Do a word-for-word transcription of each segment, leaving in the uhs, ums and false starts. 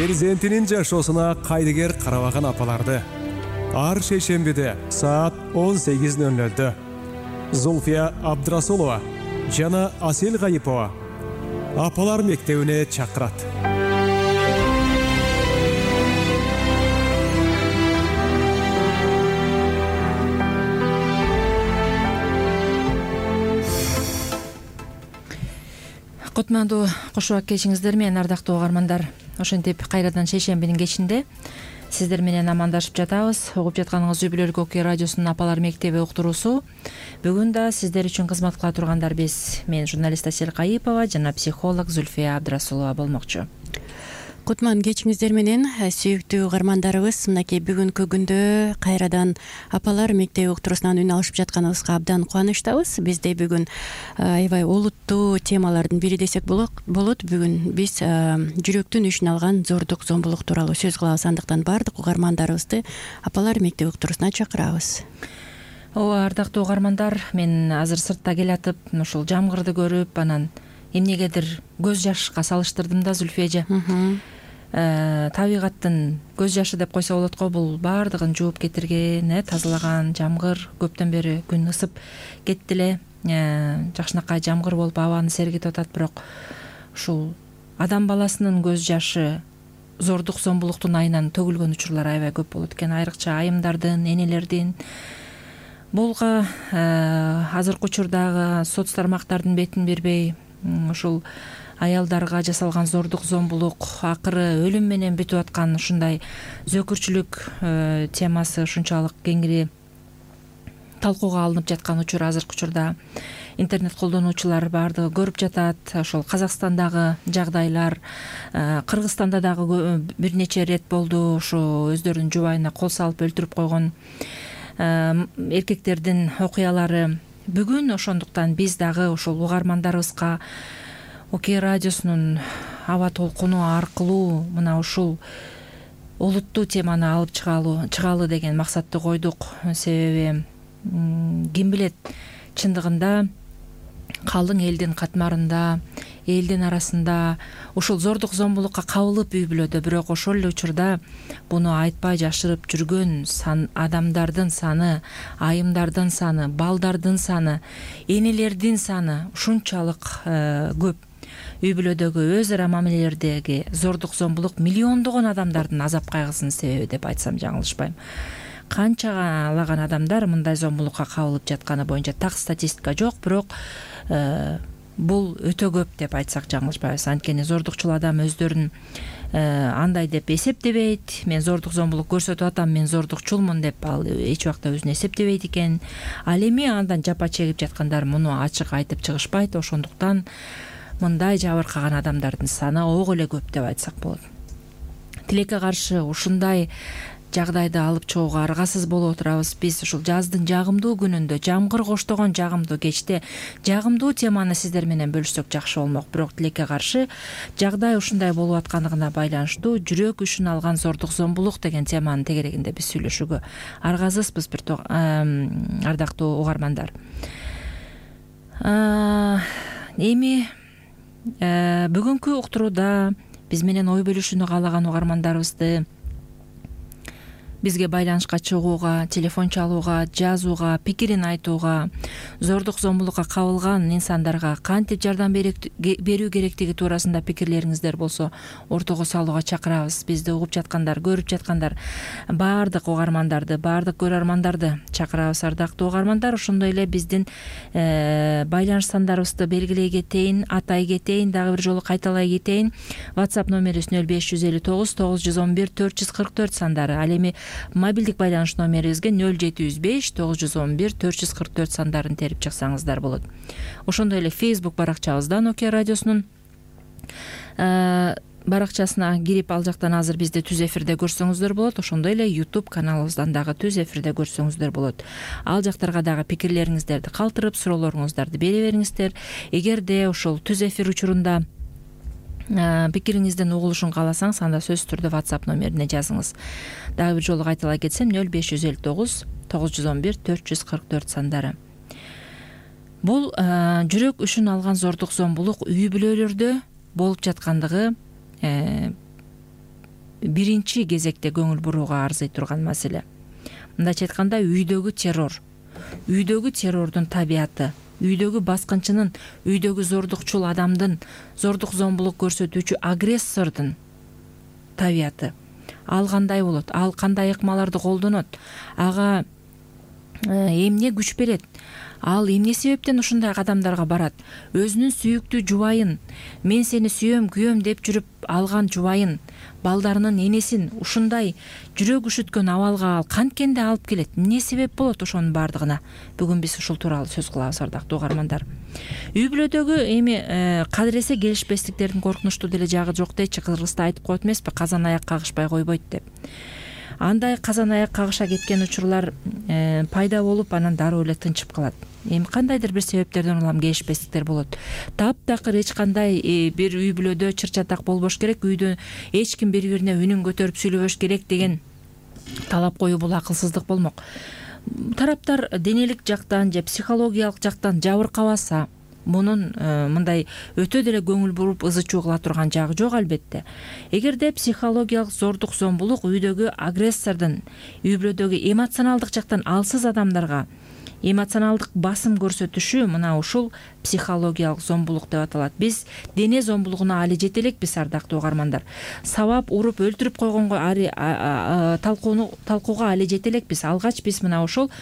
перзентинин жашоосуна кайдыгер карабаган апаларды ар шейшембиде саат он сегиз ноль нольдө Зульфия Абдрасулова жана Асел Гайипова апалар мектебине чакырат. Кутмандуу кошубак кечиңиздер менен, ардактуу угармандар. Ошентип кайрадан шейшембинин кечинде сиздер менен амандашып жатабыз. Угуп жатканыңыз Үй Бүлөлүк Окуя радиосунун апалар мектеби уктуруусу. Бүгүн да сиздер үчүн кызмат кыла тургандар биз. Мен журналист Асел Гайипова жана психолог Зульфия Абдрасулова болмокчу. Кутман кечиңиздер менен, сүйүктүү угармандарыбыз. Мынакей бүгүнкү күндө кайрадан апалар мектеби уктуруусунан үн алышып жатканыбызга абдан кубанычтабыз. Бизде бүгүн аябай олуттуу темалардын бири десек болот. Бүгүн биз жүрөктүн ишин алган зордук зомбулук тууралуу сөз кылабыз. Андыктан баардык угармандарыбызды апалар мектеби уктуруусуна чакырабыз. Ооба, ардактуу угармандар, мен азыр сыртта келатып, ушул жамгырды көрүп, анан эмнегедир көз жашка салыштырдым да, Зульфия эже. Табигаттын көз жашы деп койсо болот го, бул баардыгын жууп кетирген, э, тазалаган жамгыр. Көптөн бери күн ысып кетти эле, жакшынакай жамгыр болуп абаны сергитип атат, бирок ушул адам баласынын көз жашы зордук зомбулуктун айынан төгүлгөн учурлар аябай көп болот экен. Айрыкча айымдардын, энелердин. Булга азыркы учурдагы соц тармактардын бетин бербей, ушул аялдарга жасалган зордук зомбулук акыры өлүм менен бүтүп аткан ушундай зөкүрчүлүк темасы ушунчалык кеңири талкууга алынып жаткан учур азыркы учурда интернет колдонуучулар баардыгы көрүп жатат. Ошол Казакстандагы жагдайлар, Кыргызстанда дагы бир нече ирет болду. Ушу өздөрүнүн жубайына кол салып өлтүрүп койгон эркектердин окуялары. Бүгүн ошондуктан биз дагы ушул угармандарыбызга Окуя радиосунун аба толкуну аркылуу мына ушул олуттуу теманы алып чыгалы деген максатты койдук. Себеби ким билет, чындыгында калың элдин катмарында, элдин арасында ушул зордук зомбулукка кабылып үй бүлөдө, бирок ошол эле учурда буну айтпай жашырып жүргөн сан адамдардын саны, айымдардын саны, балдардын саны, энелердин саны ушунчалык көп. Үй бүлөдөгү өз ара мамилелердеги зордук зомбулук миллиондогон адамдардын азап кайгысынын себеби деп айтсам жаңылышпайм. Канчалаган адамдар мындай зомбулукка кабылып жатканы боюнча так статистика жок, бирок бул өтө көп деп айтсак жаңылышпайбыз. Анткени зордукчул адам өздөрүн андай деп эсептебейт. Мен зордук зомбулук көрсөтүп атам, мен зордукчулмун деп ал эч убакта өзүн эсептебейт экен. Ал эми андан жапа чегип жаткандар муну ачык айтып чыгышпайт. Ошондуктан мындай жабыркаган адамдардын саны ого эле көп деп айтсак болот. Тилекке каршы ушундай жагдайды алып чыгууга аргасыз болуп отурабыз. Биз ушул жаздын жагымдуу күнүндө, жамгыр коштогон жагымдуу кечте жагымдуу теманы сиздер менен бөлүшсөк жакшы болмок. Бирок тилекке каршы жагдай ушундай болуп аткандыгына байланыштуу жүрөк үчүн алган зордук зомбулук деген теманын тегерегинде биз сүйлөшүүгө аргасызбыз, бир ардактуу угармандар. Эми бүгүнкү уктурууда биз менен ой бөлүшүүнү каалаган угармандарыбызды бизге байланышка чыгууга, телефон чалууга, жазууга, пикирин айтууга, зордук зомбулукка кабылган инсандарга кантип жардам берүү керектиги туурасында пикирлериңиздер болсо ортого салууга чакырабыз. Бизди угуп жаткандар, көрүп жаткандар баардык угармандарды, баардык көрөрмандарды чакырабыз. Ардактуу угармандар, ошондой эле биздин байланыш сандарыбызды белгилей кетейин, атай кетейин, дагы бир жолу кайталай кетейин. WhatsApp номерибиз нөл беш жүз элүү тогуз тогуз жүз он бир төрт жүз кырк төрт сандары. Ал эми мобилдик байланыш номерибизге нөл жети жүз беш тогуз жүз он бир төрт жүз кырк төрт сандарын терип чыксаңыздар болот. Ошондой эле Facebook баракчабыздан Окуя радиосунун баракчасына кирип ал жактан азыр бизди түз эфирде көрсөңүздөр болот. Ошондой эле YouTube каналыбыздан дагы түз эфирде көрсөңүздөр болот. Ал жактарга дагы пикирлериңиздерди калтырып, суроолоруңуздарды бере бериңиздер. Эгерде ошол түз эфир учурунда пикириңиздин угулушун кааласаңыз, анда сөзсүз түрдө WhatsApp номерине жазыңыз. Дагы бир жолу кайталай кетсем, нөл беш жүз элүү тогуз тогуз жүз он бир төрт жүз кырк төрт сандары. Бул жүрөк үчүн алган зордук зомбулук үй бүлөлөрдө болуп жаткандыгы биринчи кезекте көңүл бурууга арзый турган маселе. Мындайча айтканда, үйдөгү террор, үйдөгү террордун табияты, үйдөгү баскынчынын, үйдөгү зордукчул адамдын, зордук зомбулук көрсөтүүчү агрессордун табияты. Ал кандай болот? Ал кандай ыкмаларды колдонот? Ага эмне күч берет? Ал эмне себептен ушундай кадамдарга барат? Өзүнүн сүйүктүү жубайын, мен сени сүйөм, күйөм деп жүрүп алган жубайын, балдарынын энесин ушундай жүрөк үшүткөн абалга ал канткенде алып келет? Эмне себеп болот ошонун баардыгына? Бүгүн биз ушул тууралуу сөз кылабыз, ардактуу угармандар. Үй бүлөдөгү эми кадыресе келишпестиктердин коркунучтуу деле жагы жок дейчи. Кыргызда айтып коет эмеспи, казан аяк кагышпай койбойт деп. Андай казан аяк кагыша кеткен учурлар пайда болуп, анан дароо эле тынчып калат. Эми кандайдыр бир себептерден улам келишпестиктер болот. Таптакыр эч кандай бир үй бүлөдө чыр-чатак болбош керек, үйдө эч ким бири-бирине үнүн көтөрүп сүйлөбөш керек деген талап коюу бул акылсыздык болмок. Тараптар денелик жактан же психологиялык жактан жабыркабаса, мунун мындай өтө деле көңүл буруп ызы чуу кыла турган жагы жок, албетте. Эгерде психологиялык зордук зомбулук үйдөгү агрессордун, үй бүлөдөгү эмоционалдык жактан алсыз адамдарга эмоционалдык басым көрсөтүшү, мына ушул психологиялык зомбулук деп аталат. Биз дене зомбулугуна али жете элекпиз, ардактуу угармандар. Сабап, уруп, өлтүрүп койгонго талкууну талкууга али жете элекпиз. Алгач биз мына ошол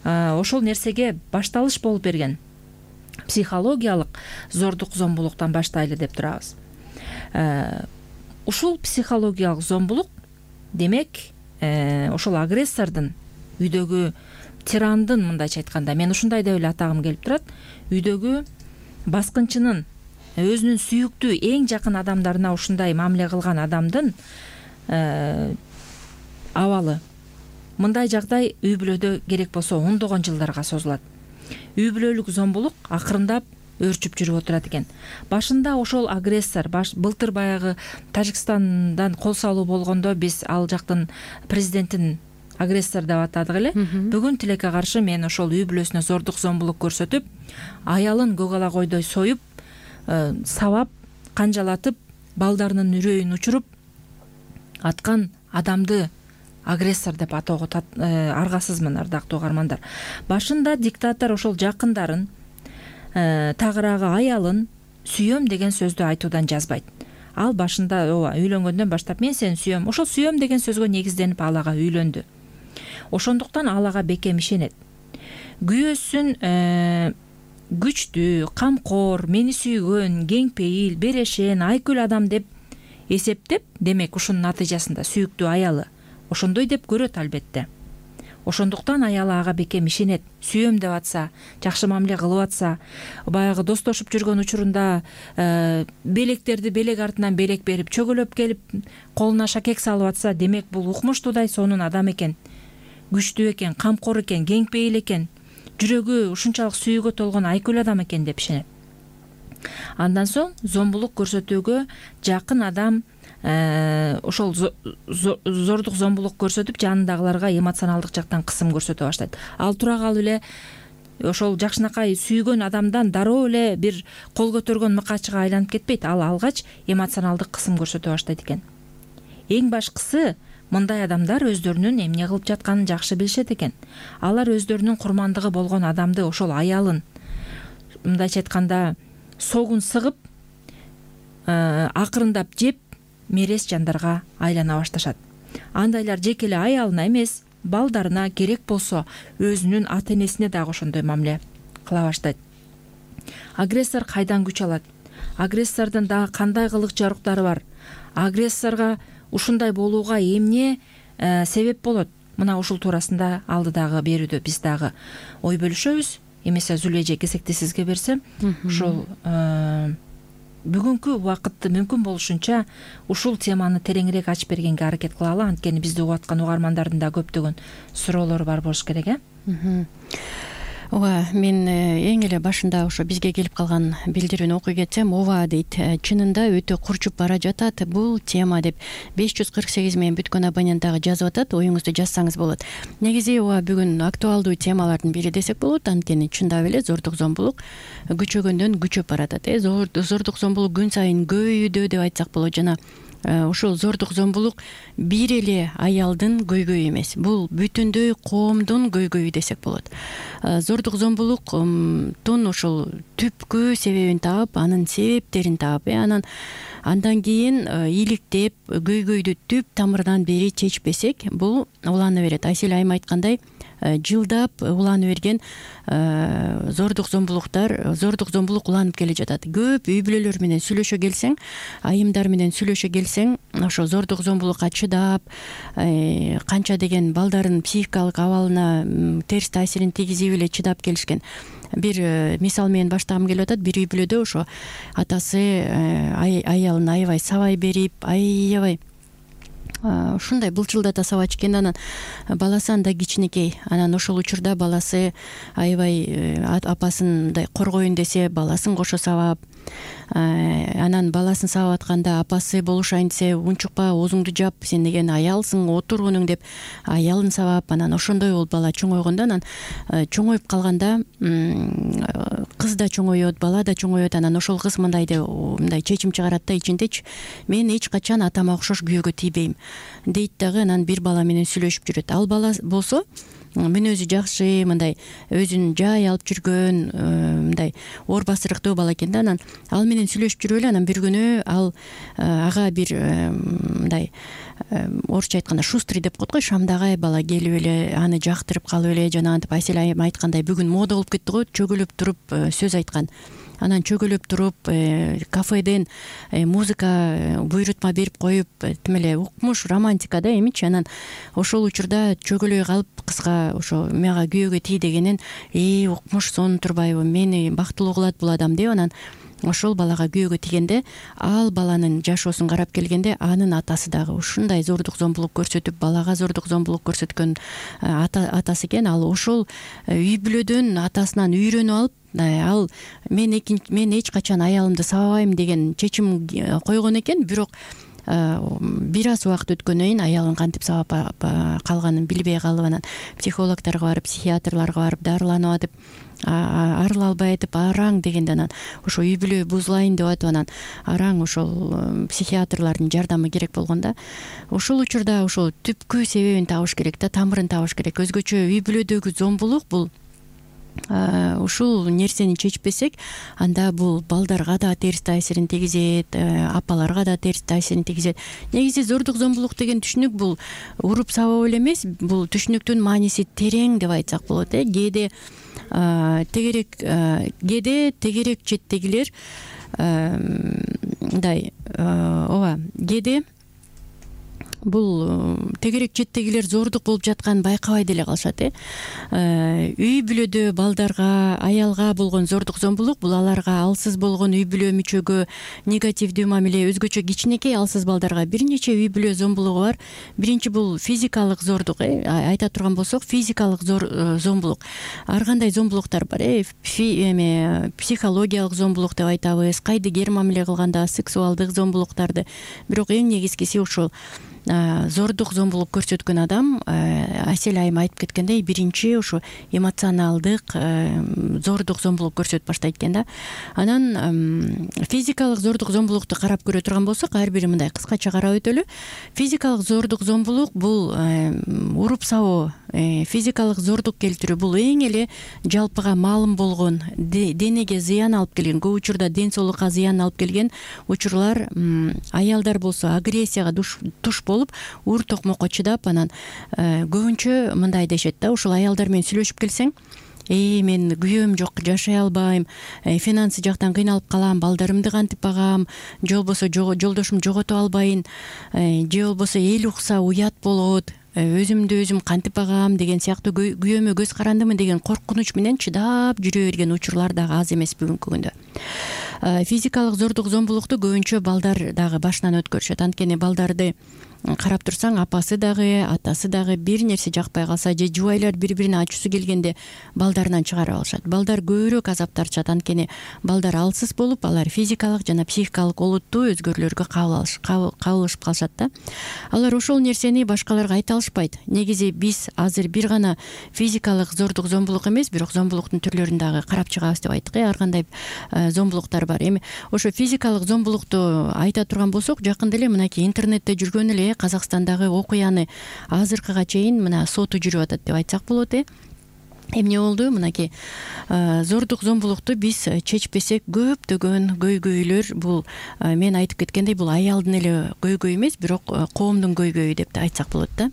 ошол нерсеге башталыш болуп берген психологиялык зордук зомбулуктан баштайлы деп турабыз. Ушул психологиялык зомбулук, демек, ошол агрессордун, үйдөгү тирандын, мындайча айтканда, мен ушундай деп эле атагым келип турат, үйдөгү баскынчынын, өзүнүн сүйүктүү эң жакын адамдарына ушундай мамиле кылган адамдын абалы. Мындай жагдай үй бүлөдө керек болсо ондогон жылдарга созулат. Үй бүлөлүк зомбулук акырындап өрчүп жүрүп отурат экен. Башында ошол агрессор, былтыр баягы Тажикстандан кол салуу болгондо биз ал жактын президентин агрессор деп атадык эле. Бүгүн тилекке каршы мен ошол үй бүлөсүнө зордук зомбулук көрсөтүп, аялын көк ала койдой союп, сабап, канжалатып, балдарынын үрөйүн учуруп аткан адамды агрессор деп атоого аргасызмын, ардактуу угармандар. Башында диктатор ошол жакындарын, тагыраагы аялын сүйөм деген сөздү айтуудан жазбайт. Ал башында ооба үйлөнгөндөн баштап мен сени сүйөм, ошол сүйөм деген сөзгө негизденип ал ага үйлөндү. Ошондуктан ал ага бекем ишенет. Күйөөсүн күчтүү, камкор, мени сүйгөн, кең пейил, берешен, айкүл адам деп эсептеп, демек ушунун натыйжасында сүйүктүү аялы ошондой деп көрөт, албетте. Ошондуктан аялы ага бекем ишенет. Сүйөм деп атса, жакшы мамиле кылып атса, баягы достошуп жүргөн учурунда белектерди белек артынан белек берип, чөгөлөп келип, колуна шакек салып атса, демек бул укмуштуудай сонун адам экен. Күчтүү экен, камкор экен, кең пейил экен, жүрөгү ушунчалык сүйүүгө толгон айкүл адам экен деп ишенет. Андан соң зомбулук көрсөтүүгө жакын адам ошол зордук зомбулук көрсөтүп, жанындагыларга эмоционалдык жактан кысым көрсөтө баштайт. Ал тура калып эле ошол жакшынакай сүйгөн адамдан дароо эле бир кол көтөргөн мыкаачыга айланып кетпейт. Ал алгач эмоционалдык кысым көрсөтө баштайт экен. Эң башкысы, мындай адамдар өздөрүнүн эмне кылып жатканын жакшы билишет экен. Алар өздөрүнүн курмандыгы болгон адамды, ошол аялын, мындайча айтканда, согун сыгып, акырындап жеп, мерес жандарга айлана башташат. Андайлар жеке эле аялына эмес, балдарына, керек болсо өзүнүн ата энесине дагы ошондой мамиле кыла баштайт. Агрессор кайдан күч алат? Агрессордун дагы кандай кылык жаруктары бар? Агрессорго ушундай болууга эмне себеп болот? Мына ушул туурасында алдыдагы берүүдө биз дагы ой бөлүшөбүз. Эмесе Зулия эже кезекти сизге берсем, ушул бүгүнкү убакытты мүмкүн болушунча ушул теманы тереңирээк ачып бергенге аракет кылалы. Анткени бизди угуп аткан угармандардын да көптөгөн суроолору бар болуш керек, э? Ооба, мен эң эле башында ошо бизге келип калган билдирүүнү окуй кетсем, ооба дейт, чынында өтө курчуп бара жатат бул тема деп беш жүз кырк сегиз менен бүткөн абонент дагы жазып атат. Оюңузду жазсаңыз болот. Негизи ооба бүгүн актуалдуу темалардын бири десек болот. Анткени чындап эле зордук зомбулук күчөгөндөн күчөп баратат. Э зордук зомбулук күн сайын көбөйүүдө деп айтсак болот. Жана ушул зордук зомбулук бир эле аялдын көйгөйү эмес, бул бүтүндөй коомдун көйгөйү десек болот. Зордук зомбулуктун ушул түпкү себебин таап, анын себептерин таап, анан андан кийин иликтеп көйгөйдү түп тамырынан бери чечпесек, бул улана берет. Айсел айым айткандай, жылдап уланып берген зордук зомбулуктар, зордук зомбулук уланып келе жатат. Көп үй бүлөлөр менен сүйлөшө келсең, айымдар менен сүйлөшө келсең, ошо зордук зомбулукка чыдап, канча деген балдардын психикалык абалына терс таасирин тийгизип эле чыдап келишкен. Бир мисал менен баштагым келип атат. Бир үй бүлөдө ошо атасы аялын аябай сабай берип, аябай ушундай былчылдата сабачу экен. Анан баласы анда кичинекей. Анан ошол учурда баласы аябай апасын мындай коргоюн десе, баласын кошо сабап, анан баласын сабап атканда апасы болушайын десе, унчукпа, оозуңду жап, сен деген аялсың, отур мунуң деп аялын сабап, анан ошондой болуп бала чоңойгондо, анан чоңоюп калганда кыз да чоңоет, бала да чоңоет. Анан ошол кыз мындай деп мындай чечим чыгарат да ичиндечи: мен эч качан атама окшош күйөөгө тийбейм дейт дагы. Анан бир бала менен сүйлөшүп жүрөт. Ал бала болсо мүнөзү жакшы, мындай өзүн жай алып жүргөн, мындай оор басырыктуу бала экен да. Анан ал менен сүйлөшүп жүрүп эле, анан бир күнү ал ага бир мындай орусча айтканда шустрый деп коет го, шамдагай бала келип эле аны жактырып калып эле, жанагынтип Айсел айым айткандай бүгүн мода болуп кетти го, чөгөлөп туруп сөз айткан. Анан чөгөлөп туруп кафеден музыка буйрутма берип коюп, тим эле укмуш романтика да эмичи. Анан ошол учурда чөгөлөй калып кызга ошо мага күйөөгө тий дегенин: э укмуш сонун турбайбы, мени бактылуу кылат бул адам деп, анан ошол балага күйөөгө тийгенде, ал баланын жашоосун карап келгенде, анын атасы дагы ушундай зордук зомбулук көрсөтүп, балага зордук зомбулук көрсөткөн атасы экен. Ал ошол үй бүлөдөн атасынан үйрөнүп алып, ал мен мен эч качан аялымды сабабайм деген чечим койгон экен. Бирок бир аз убакыт өткөндөн кийин аялын кантип сабап калганын билбей калып, анан психологдорго барып, психиатрларга барып дарыланып атып, арыла албай атып, араң дегенде, анан ошо үй бүлө бузулайын деп атып, анан араң ошол психиатрлардын жардамы керек болгон да. Ошол учурда ошол түпкү себебин табыш керек да, тамырын табыш керек. Өзгөчө үй бүлөдөгү зомбулук бул ушул нерсени чечпесек, анда бул балдарга да терс таасирин тийгизет, апаларга да терс таасирин тийгизет. Негизи зордук зомбулук деген түшүнүк бул уруп сабап эле эмес, бул түшүнүктүн мааниси терең деп айтсак болот. э Кээде тегерек кээде тегерек четтегилер мындай ооба кээде бул тегерек четтегилер зордук болуп жатканын байкабай деле калышат. э Үй бүлөдө балдарга, аялга болгон зордук зомбулук бул аларга алсыз болгон үй бүлө мүчөгө негативдүү мамиле, өзгөчө кичинекей алсыз балдарга бир нече үй бүлө зомбулугу бар. Биринчи бул физикалык зордук, э айта турган болсок, физикалык зомбулук. Ар кандай зомбулуктар бар, э эме психологиялык зомбулук деп айтабыз, кайдыгер мамиле кылганда сексуалдык зомбулуктарды. Бирок эң негизгиси ушул зордук зомбулук көрсөткөн адам, Айсел айым айтып кеткендей, биринчи ушу эмоционалдык зордук зомбулук көрсөтүп баштайт экен да. Анан физикалык зордук зомбулукту карап көрө турган болсок, ар бири мындай кыскача карап өтөлү. Физикалык зордук зомбулук бул уруп сабоо, физикалык зордук келтирүү, бул эң эле жалпыга маалым болгон, денеге зыян алып келген, көп учурда ден соолукка зыян алып келген учурлар. Аялдар болсо агрессияга туш болуп, уур токмокко чыдап, анан көбүнчө мындай дешет да, ушул аялдар менен сүйлөшүп келсең: Эй, мен күйөөм жок, жашай албайм, финансы жактан кыйналып калам, балдарымды кантип багам, же болбосо жолдошум жогото албайын, же болбосо эл укса уят болот, өзүмдү өзүм кантип багам деген сыяктуу күйөөмө көз карандымы деген коркунуч менен чыдап жүрө берген учурлар дагы аз эмес бүгүнкү күндө. Физикалык зордук зомбулукту көбүнчө балдар дагы башынан өткөрүшөт. Анткени балдарды карап турсаң апасы дагы атасы дагы бир нерсе жакпай калса же жубайлар бири бирине ачуусу келгенде балдарынан чыгарып алышат. Балдар көбүрөөк азап тартышат, анткени балдар алсыз болуп алар физикалык жана психикалык олуттуу өзгөрүүлөргө кабылышып калышат да. Алар ошол нерсени башкаларга айта алышпайт. Негизи биз азыр бир гана физикалык зордук зомбулук эмес, бирок зомбулуктун түрлөрүн дагы карап чыгабыз деп айттык. Ар кандай зомбулуктар бар. Эми ошо физикалык зомбулукту айта турган болсок, жакында эле мынакей интернетте жүргөн эле Казакстандагы окуяны азыркыга чейин мына соту жүрүп атат деп айтсак болот. э Эмне болду? Мынакей зордук зомбулукту биз чечпесек көптөгөн көйгөйлөр, бул мен айтып кеткендей, бул аялдын эле көйгөйү эмес, бирок коомдун көйгөйү деп да айтсак болот да.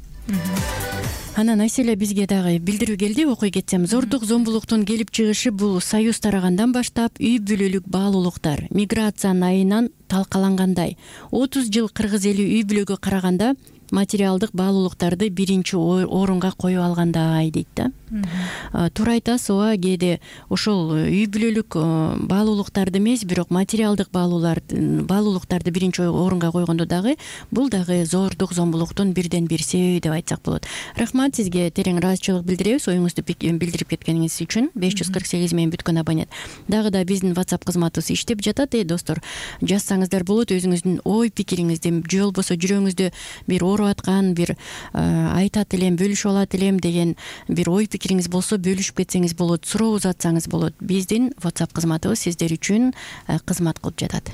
Анан Айселе бизге дагы билдирүү келди, окуй кетсем. Зордук зомбулуктун келип чыгышы бул Союз тарагандан баштап үй бүлөлүк баалуулуктар миграциянын айынан талкалангандай. отуз жыл кыргыз эли үй бүлөгө караганда материалдык баалуулуктарды биринчи орунга коюп алгандай дейт да. Туура айтасыз, ооба, кээде ошол үй бүлөлүк баалуулуктарды эмес, бирок материалдык баалуулуктарды биринчи орунга койгондо дагы бул дагы зордук зомбулуктун бирден бир себеби деп айтсак болот. Рахмат сизге, терең ыраазычылык билдиребиз оюңузду билдирип кеткениңиз үчүн. беш жүз кырк сегиз менен бүткөн абонент. Дагы да биздин WhatsApp кызматыбыз иштеп жатат. Э достор, жазсаңыздар болот өзүңүздүн ой пикириңизди, же болбосо жүрөгүңүздө бир ооруп аткан, бир айтат элем, бөлүшүп алат элем деген бир ой пикириңиз болсо бөлүшүп кетсеңиз болот, суроо узатсаңыз болот. Биздин WhatsApp кызматыбыз сиздер үчүн кызмат кылып жатат.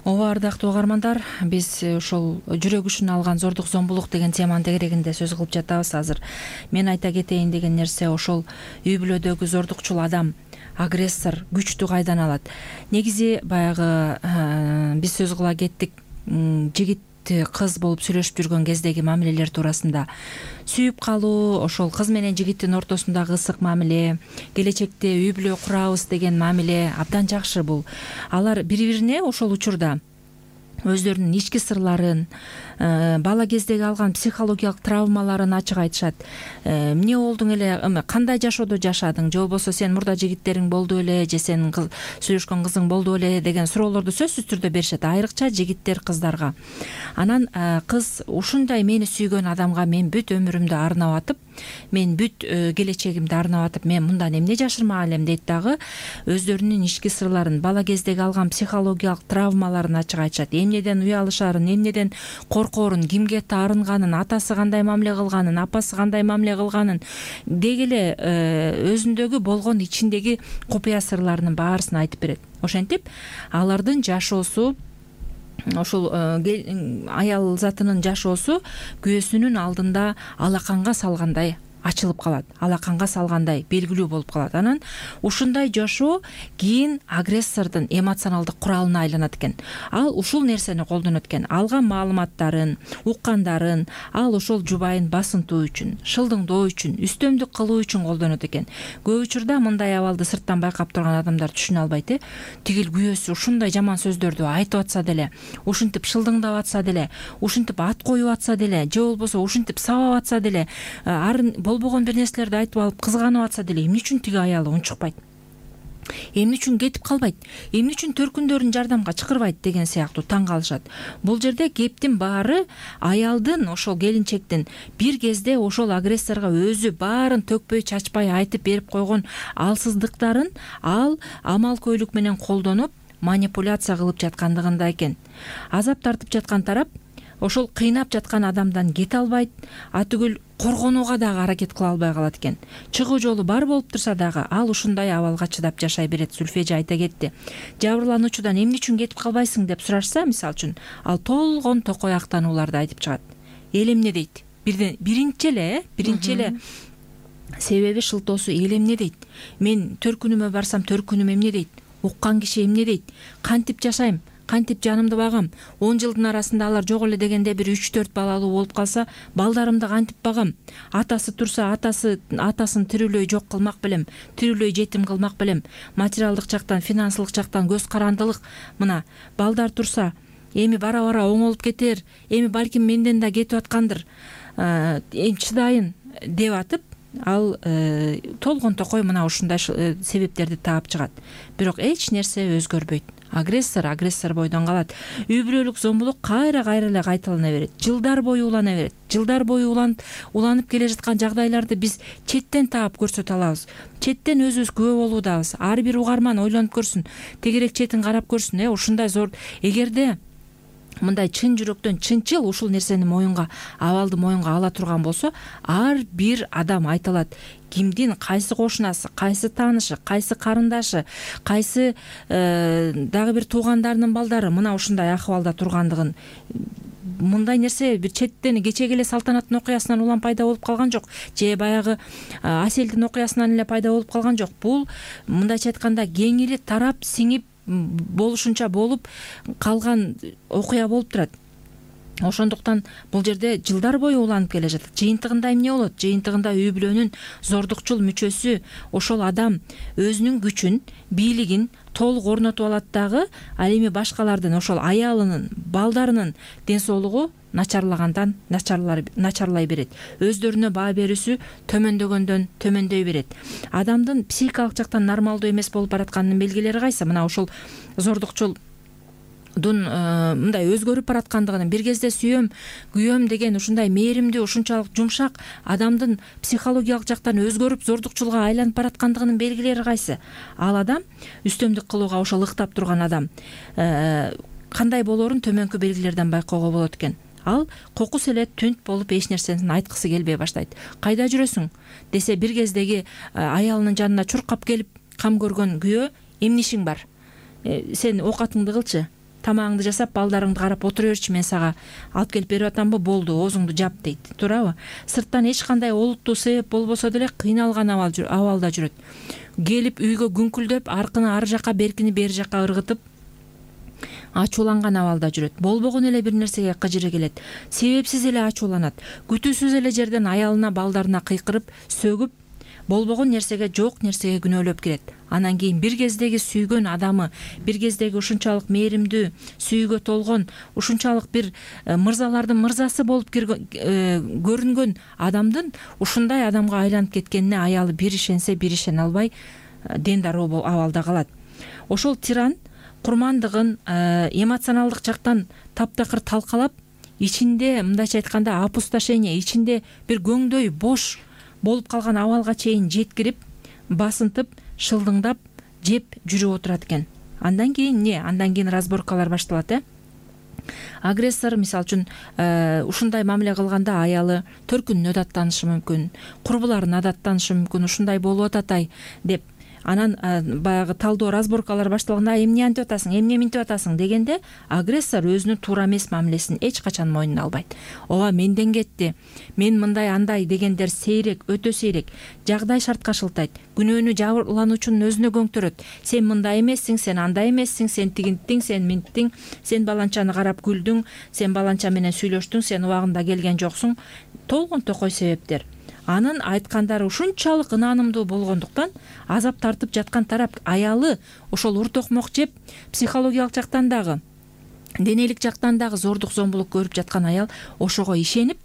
Ооба, ардактуу угармандар, биз ошол жүрөк үчүн алган зордук зомбулук деген теманын тегерегинде сөз кылып жатабыз азыр. Мен айта кетейин деген нерсе, ошол үй бүлөдөгү зордукчул адам, агрессор күчтү кайдан алат? Негизи баягы биз сөз кыла кеттик, жигит кыз болуп сүйлөшүп жүргөн кездеги мамилелер туурасында. Сүйүп калуу, ошол кыз менен жигиттин ортосундагы ысык мамиле, келечекте үй бүлө курабыз деген мамиле абдан жакшы. Бул алар бири-бирине ошол учурда өздөрүнүн ички сырларын, бала кездеги алган психологиялык травмаларын ачык айтышат. Эмне болдуң эле, кандай жашоодо жашадың, же болбосо сен мурда жигиттериң болду эле, же сенин сүйлөшкөн кызың болду эле деген суроолорду сөзсүз түрдө беришет, айрыкча жигиттер кыздарга. Анан кыз ушундай мени сүйгөн адамга мен бүт өмүрүмдү арнап атып, мен бүт келечегимди арнап атып, мен мындан эмне жашырмак элем дейт дагы өздөрүнүн ички сырларын, бала кездеги алган психологиялык травмаларын ачык айтышат. Эмнеден уялышарын, эмнеден коркоорун, кимге таарынганын, атасы кандай мамиле кылганын, апасы кандай мамиле кылганын, деги эле өзүндөгү болгон ичиндеги купуя сырларынын баарысын айтып берет. Ошентип алардын жашоосу, ошол аял затынын жашоосу күйөөсүнүн алдында алаканга салгандай ачылып калат, алаканга салгандай белгилүү болуп калат. Анан ушундай жашоо кийин агрессордун эмоционалдык куралына айланат экен. Ал ушул нерсени колдонот экен. Алган маалыматтарын, уккандарын ал ошол жубайын басынтуу үчүн, шылдыңдоо үчүн, үстөмдүк кылуу үчүн колдонот экен. Көп учурда мындай абалды сырттан байкап турган адамдар түшүнө албайт. э Тигил күйөөсү ушундай жаман сөздөрдү айтып атса деле, ушинтип шылдыңдап атса деле, ушинтип ат коюп атса деле, же болбосо ушинтип сабап атса деле, арын болбогон бир нерселерди айтып алып кызганып атса деле, эмне үчүн тиги аялы унчукпайт, эмне үчүн кетип калбайт, эмне үчүн төркүндөрүн жардамга чакырбайт деген сыяктуу таң калышат. Бул жерде кептин баары аялдын, ошол келинчектин бир кезде ошол агрессорго өзү баарын төкпөй чачпай айтып берип койгон алсыздыктарын ал амал-көйлүк менен колдонуп манипуляция кылып жаткандыгында экен. Азап тартып жаткан тарап ошол кыйнап жаткан адамдан кете албайт, атүгүл коргонууга дагы аракет кыла албай калат экен. Чыгуу жолу бар болуп турса дагы ал ушундай абалга чыдап жашай берет. Зүлфежи айта кетти. Жабырлануучудан эмне үчүн кетип калбайсың деп сурашса, мисалы үчүн, ал толгон токой актанууларды айтып чыгат. Эл эмне дейт? Бирден биринчи эле, биринчи эле себеби шылтоосу эл эмне дейт? Мен төркүнүмө барсам төркүнүм эмне дейт? Уккан киши эмне дейт? Кантип жашайм? Кантип жанымды багам? он жылдын арасында алар жок эле дегенде бир үч төрт балалуу болуп калса, балдарымды кантип багам? Атасы турса, атасы атасын тирүүлөй жок кылмак белем, тирүүлөй жетим кылмак белем. Материалдык жактан, финансылык жактан көз карандылык. Мына, балдар турса, эми бара-бара оңолуп кетер, эми балким менден да кетип аткандыр. Эми чыдайын деп атып, ал толгон токой мына ушундай себептерди таап чыгат. Бирок эч нерсе өзгөрбөйт. агрессор агрессор бойдон калат. Үй бүлөлүк зомбулук кайра кайра эле кайталана берет, жылдар бою улана берет. Жылдар бою уланып уланып келе жаткан жагдайларды биз четтен таап көрсөтө алабыз, четтен өзүбүз күбө болуудабыз. Ар бир угарман ойлонуп көрсүн, тегерек четин карап көрсүн. Э ушундай зор, эгерде мындай чын жүрөктөн чынчыл ушул нерсени моюнга, абалды моюнга ала турган болсо, ар бир адам айта алат кимдин кайсы кошунасы, кайсы таанышы, кайсы карындашы, кайсы дагы бир туугандарынын балдары мына ушундай акыбалда тургандыгын. Мындай нерсе бир четтен кечеги эле Салтанаттын окуясынан улам пайда болуп калган жок, же баягы Аселдин окуясынан эле пайда болуп калган жок. Бул мындайча айтканда кеңири тарап сиңип болушунча болуп калган окуя болуп турат. Ошондуктан бул жерде жылдар бою уланып келе жатат. Жыйынтыгында эмне болот? Жыйынтыгында үй бүлөнүн зордукчул мүчөсү ошол адам өзүнүн күчүн, бийлигин толук орнотуп алат дагы, ал эми башкалардын, ошол аялынын, балдарынын ден соолугу начарлагандан начарлай берет. Өздөрүнө баа берүүсү төмөндөгөндөн төмөндөй берет. Адамдын психикалык жактан нормалдуу эмес болуп баратканынын белгилери кайсы? Мына ошол зордукчул дун мындай өзгөрүп бараткандыгын, бир кезде сүйөм, күйөм деген ушундай мээримдүү, ушунчалык жумшак адамдын психологиялык жактан өзгөрүп зордукчулга айланып бараткандыгынын белгилери кайсы? Ал адам үстөмдүк кылууга ошол ыктап турган адам кандай болоорун төмөнкү белгилерден байкоого болот экен. Ал кокус эле түнт болуп эч нерсени айткысы келбей баштайт. Кайда жүрөсүң десе, бир кездеги аялынын жанына чуркап келип кам көргөн күйөө, эмне ишиң бар? Сен оокатыңды кылчы, тамагыңды жасап, балдарыңды карап отура берчи, мен сага алып келип берип атамбы, болду, оозуңду жап дейт. Туурабы? Сырттан эч кандай олуттуу себеп болбосо деле кыйналган абалда жүрөт. Келип үйгө күңкүлдөп, аркыны ар жака, беркини бери жака ыргытып, ачууланган абалда жүрөт. Болбогон эле бир нерсеге кыжыры келет. Себепсиз эле ачууланат. Күтүүсүз эле жерден аялына, балдарына кыйкырып, сөгүп, болбогон нерсеге, жок нерсеге күнөөлөп кирет. Анан кийин бир кездеги сүйгөн адамы, бир кездеги ушунчалык мээримдүү, сүйүүгө толгон, ушунчалык бир мырзалардын мырзасы болуп көрүнгөн адамдын ушундай адамга айланып кеткенине аялы бир ишенсе, бир ишене албай дендароо абалда калат. Ошол тиран курмандыгын эмоционалдык жактан таптакыр талкалап, ичинде мындайча айтканда опустошение, ичинде бир көңдөй бош болуп калган абалга чейин жеткирип, басынтып, шылдыңдап, жеп жүрүп отурат экен. Андан кийин эмне? Андан кийин разборкалар башталат, э? Агрессор, мисалы үчүн, ушундай мамиле кылганда аялы төркүнүнө даттанышы мүмкүн, курбуларына даттанышы мүмкүн, ушундай болуп атат ай деп. Анан баягы талдоо, разборкалар башталганда, эмне антип атасың, эмне минтип атасың дегенде, агрессор өзүнүн туура эмес мамилесин эч качан мойнуна албайт. Ооба, менден кетти, мен мындай андай дегендер сейрек, өтө сейрек. Жагдай шартка шылтайт, күнөөнү жабырлануучунун өзүнө көңтөрөт. Сен мындай эмессиң, сен андай эмессиң, сен тигинттиң, сен минттиң, сен баланчаны карап күлдүң, сен баланча менен сүйлөштүң, сен убагында келген жоксуң. Толгон токой себептер. Анын айткандары ушунчалык ынанымдуу болгондуктан азап тартып жаткан тарап аялы ошол уртокмок жеп, психологиялык жактан дагы, денелик жактан дагы зордук зомбулук көрүп жаткан аял ошого ишенип,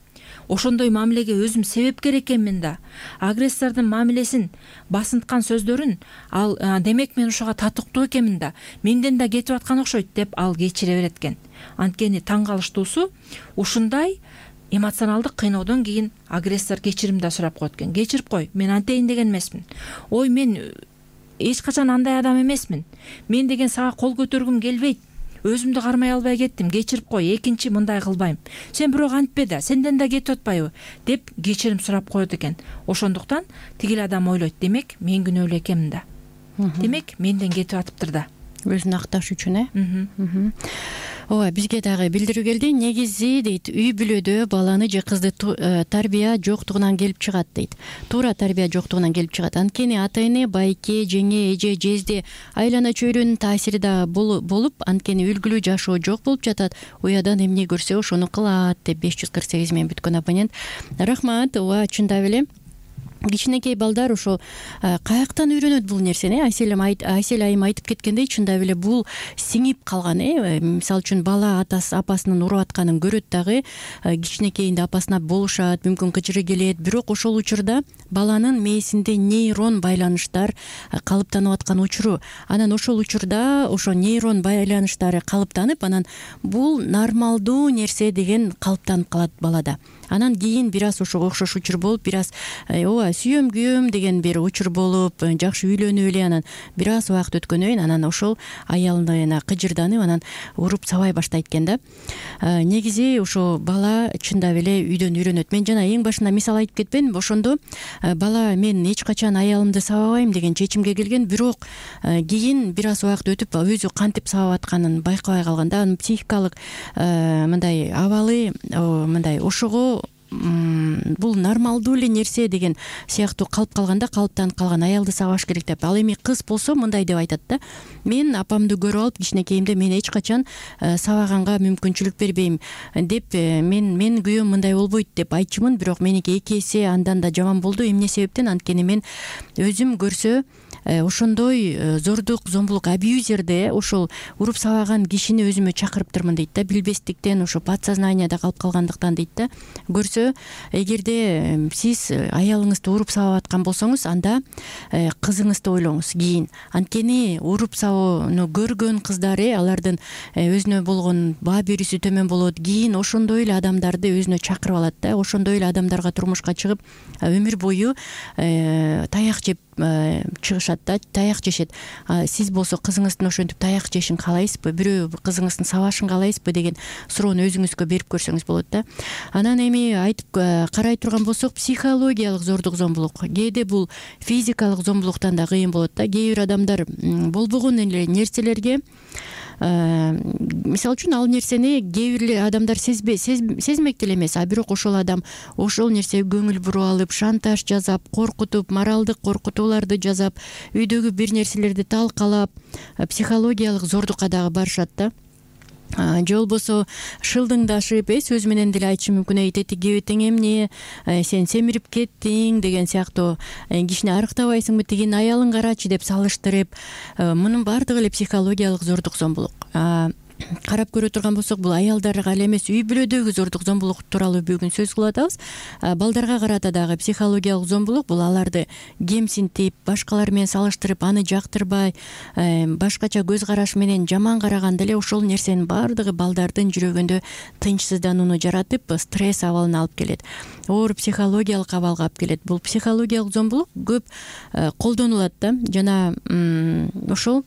ошондой мамилеге өзүм себепкер экенмин да, агрессордун мамилесин, басынткан сөздөрүн, ал демек мен ошого татыктуу экенмин да, менден да кетип аткан окшойт деп ал кечире берет экен. Анткени таң калыштуусу, ушундай эмоционалдык кыйноодон кийин агрессор кечирим да сурап коет экен. Кечирип кой, мен антейин деген эмесмин. Ой, мен эч качан андай адам эмесмин. Мен деген сага кол көтөргүм келбейт. Өзүмдү кармай албай кеттим. Кечирип кой, экинчи мындай кылбайм. Сен бирок антпе да, сенден да кетип атпайбы деп кечирим сурап коет экен. Ошондуктан тигил адам ойлойт, демек мен күнөөлүү экенмин да. Демек менден кетип атыптыр да. Өзүн акташ үчүн, э? Ооба, бизге дагы билдирүү келди. Негизи дейт, үй бүлөдө баланы же кызды тарбия жоктугунан келип чыгат дейт. Туура тарбия жоктугунан келип чыгат. Анткени ата-эне, байке, жеңе, эже, жезде, айлана чөйрөнүн таасири да болуп, анткени үлгүлүү жашоо жок болуп жатат. Уядан эмне көрсө ошону кылат деп беш жүз кырк сегиз мен бүткөн абонент. Рахмат. Ооба, чындап эле кичинекей балдар ошол каяктан үйрөнөт бул нерсени? Айселем Айсел айым айтып кеткендей, чындап эле бул сиңип калган. э Мисалы үчүн бала атасы апасынын уруп атканын көрөт дагы, кичинекейинде апасына болушат, мүмкүн кычыры келет, бирок ошол учурда баланын мээсинде нейрон байланыштар калыптанып аткан учуру. Анан ошол учурда ошо нейрон байланыштары калыптанып, анан бул нормалдуу нерсе деген калыптанып калат балада. Анан кийин бир аз ошого окшош учур болуп, бир аз ооба сүйөм күйөм деген бир учур болуп, жакшы үйлөнүп эле, анан бир аз убакыт өткөндөн кийин анан ошол аялына кыжырданып, анан уруп сабай баштайт экен да. Негизи ошо бала чындап эле үйдөн үйрөнөт. Мен жана эң башында мисал айтып кетпедимби? Ошондо бала мен эч качан аялымды сабабайм деген чечимге келген, бирок кийин бир аз убакыт өтүп өзү кантип сабап атканын байкабай калганда, анын психикалык мындай абалы мындай ошого бул нормалдуу эле нерсе деген сыяктуу калып калганда, калыптанып калган аялды сабаш керек деп. Ал эми кыз болсо мындай деп айтат да: мен апамды көрүп алып кичинекейимде мен эч качан сабаганга мүмкүнчүлүк бербейм деп, мен мен күйөөм мындай болбойт деп айтчумун, бирок меники эки эсе андан да жаман болду. Эмне себептен? Анткени мен өзүм көрсө ошондой зордук, зомбулук, абьюзерде ошол уруп сабаган кишини өзүмө чакырыптырмын дейт да, билбестиктен, ошо подсознанияда калып калгандыктан дейт да. Көрсө, эгерде сиз аялыңызды уруп сабап аткан болсоңуз, анда кызыңызды ойлоңуз кийин. Анткени уруп сабоону көргөн кыздар, алардын өзүнө болгон баа берүүсү төмөн болот. Кийин ошондой эле адамдарды өзүнө чакырып алат да, ошондой эле адамдарга турмушка чыгып өмүр бою таяк жеп чыгышат да, таяк жешет. Сиз болсо кызыңыздын ошентип таяк жешин каалайсызбы, бирөө кызыңыздын сабашын каалайсызбы деген суроону өзүңүзгө берип көрсөңүз болот да. Анан эми айтып карай турган болсок, психологиялык зордук, зомбулук, кээде бул физикалык зомбулуктан да кыйын болот да. Кээ бир адамдар болбогон эле нерселерге, мисалы үчүн ал нерсени кээ бир адамдар сезбей сезмек деле эмес, а бирок ошол адам ошол нерсеге көңүл буруп алып, шантаж жасап, коркутуп, моралдык коркутууларды жасап, үйдөгү бир нерселерди талкалап, психологиялык зордукка дагы барышат да. Же болбосо шылдыңдашып, э сөз менен деле айтышы мүмкүн: эй тетиги тең эмне, сен семирип кеттиң деген сыяктуу, кишини арыктабайсыңбы, тигинин аялын карачы деп салыштырып, мунун баардыгы эле психологиялык зордук, зомбулук. Карап көрө турган болсок, бул аялдарга эле эмес, үй бүлөдөгү зордук, зомбулук тууралуу бүгүн сөз кылып атабыз. Балдарга карата дагы психологиялык зомбулук бул аларды кемсинтип, башкалар менен салыштырып, аны жактырбай, башкача көз караш менен жаман караганда эле ошол нерсенин баардыгы балдардын жүрөгүндө тынчсызданууну жаратып, стресс абалын алып келет, оор психологиялык абалга алып келет. Бул психологиялык зомбулук көп колдонулат да. Жана ошол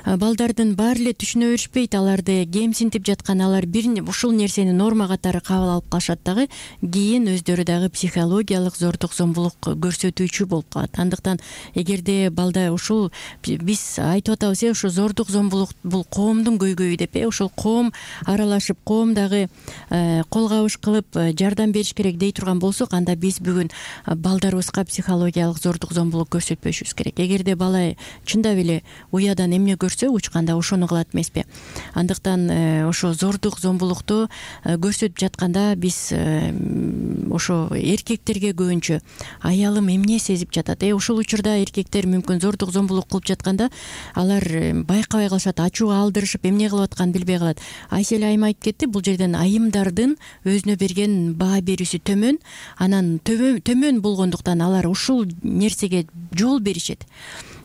балдардын баары эле түшүнө беришпейт, аларды кемсинтип жаткан, алар бир ушул нерсени норма катары кабыл алып калышат дагы, кийин өздөрү дагы психологиялык зордук, зомбулук көрсөтүүчү болуп калат. Андыктан эгерде балда ушул биз айтып атабыз, ошо зордук, зомбулук бул коомдун көйгөйү деп, э ошол коом аралашып, коом дагы кол кабыш кылып жардам бериш керек дей турган болсок, анда биз бүгүн балдарыбызга психологиялык зордук, зомбулук көрсөтпөшүбүз керек. Эгерде бала чындап эле уядан эмне учканда ошону кылат эмеспи? Андыктан ошо зордук, зомбулукту көрсөтүп жатканда биз ошо эркектерге көбүнчө аялым эмне сезип жатат, э ошол учурда эркектер мүмкүн зордук, зомбулук кылып жатканда алар байкабай калышат, ачууга алдырышып, эмне кылып атканын билбей калат. Айсел айым айтып кетти, бул жерден айымдардын өзүнө берген баа берүүсү төмөн, анан төмөн болгондуктан алар ушул нерсеге жол беришет.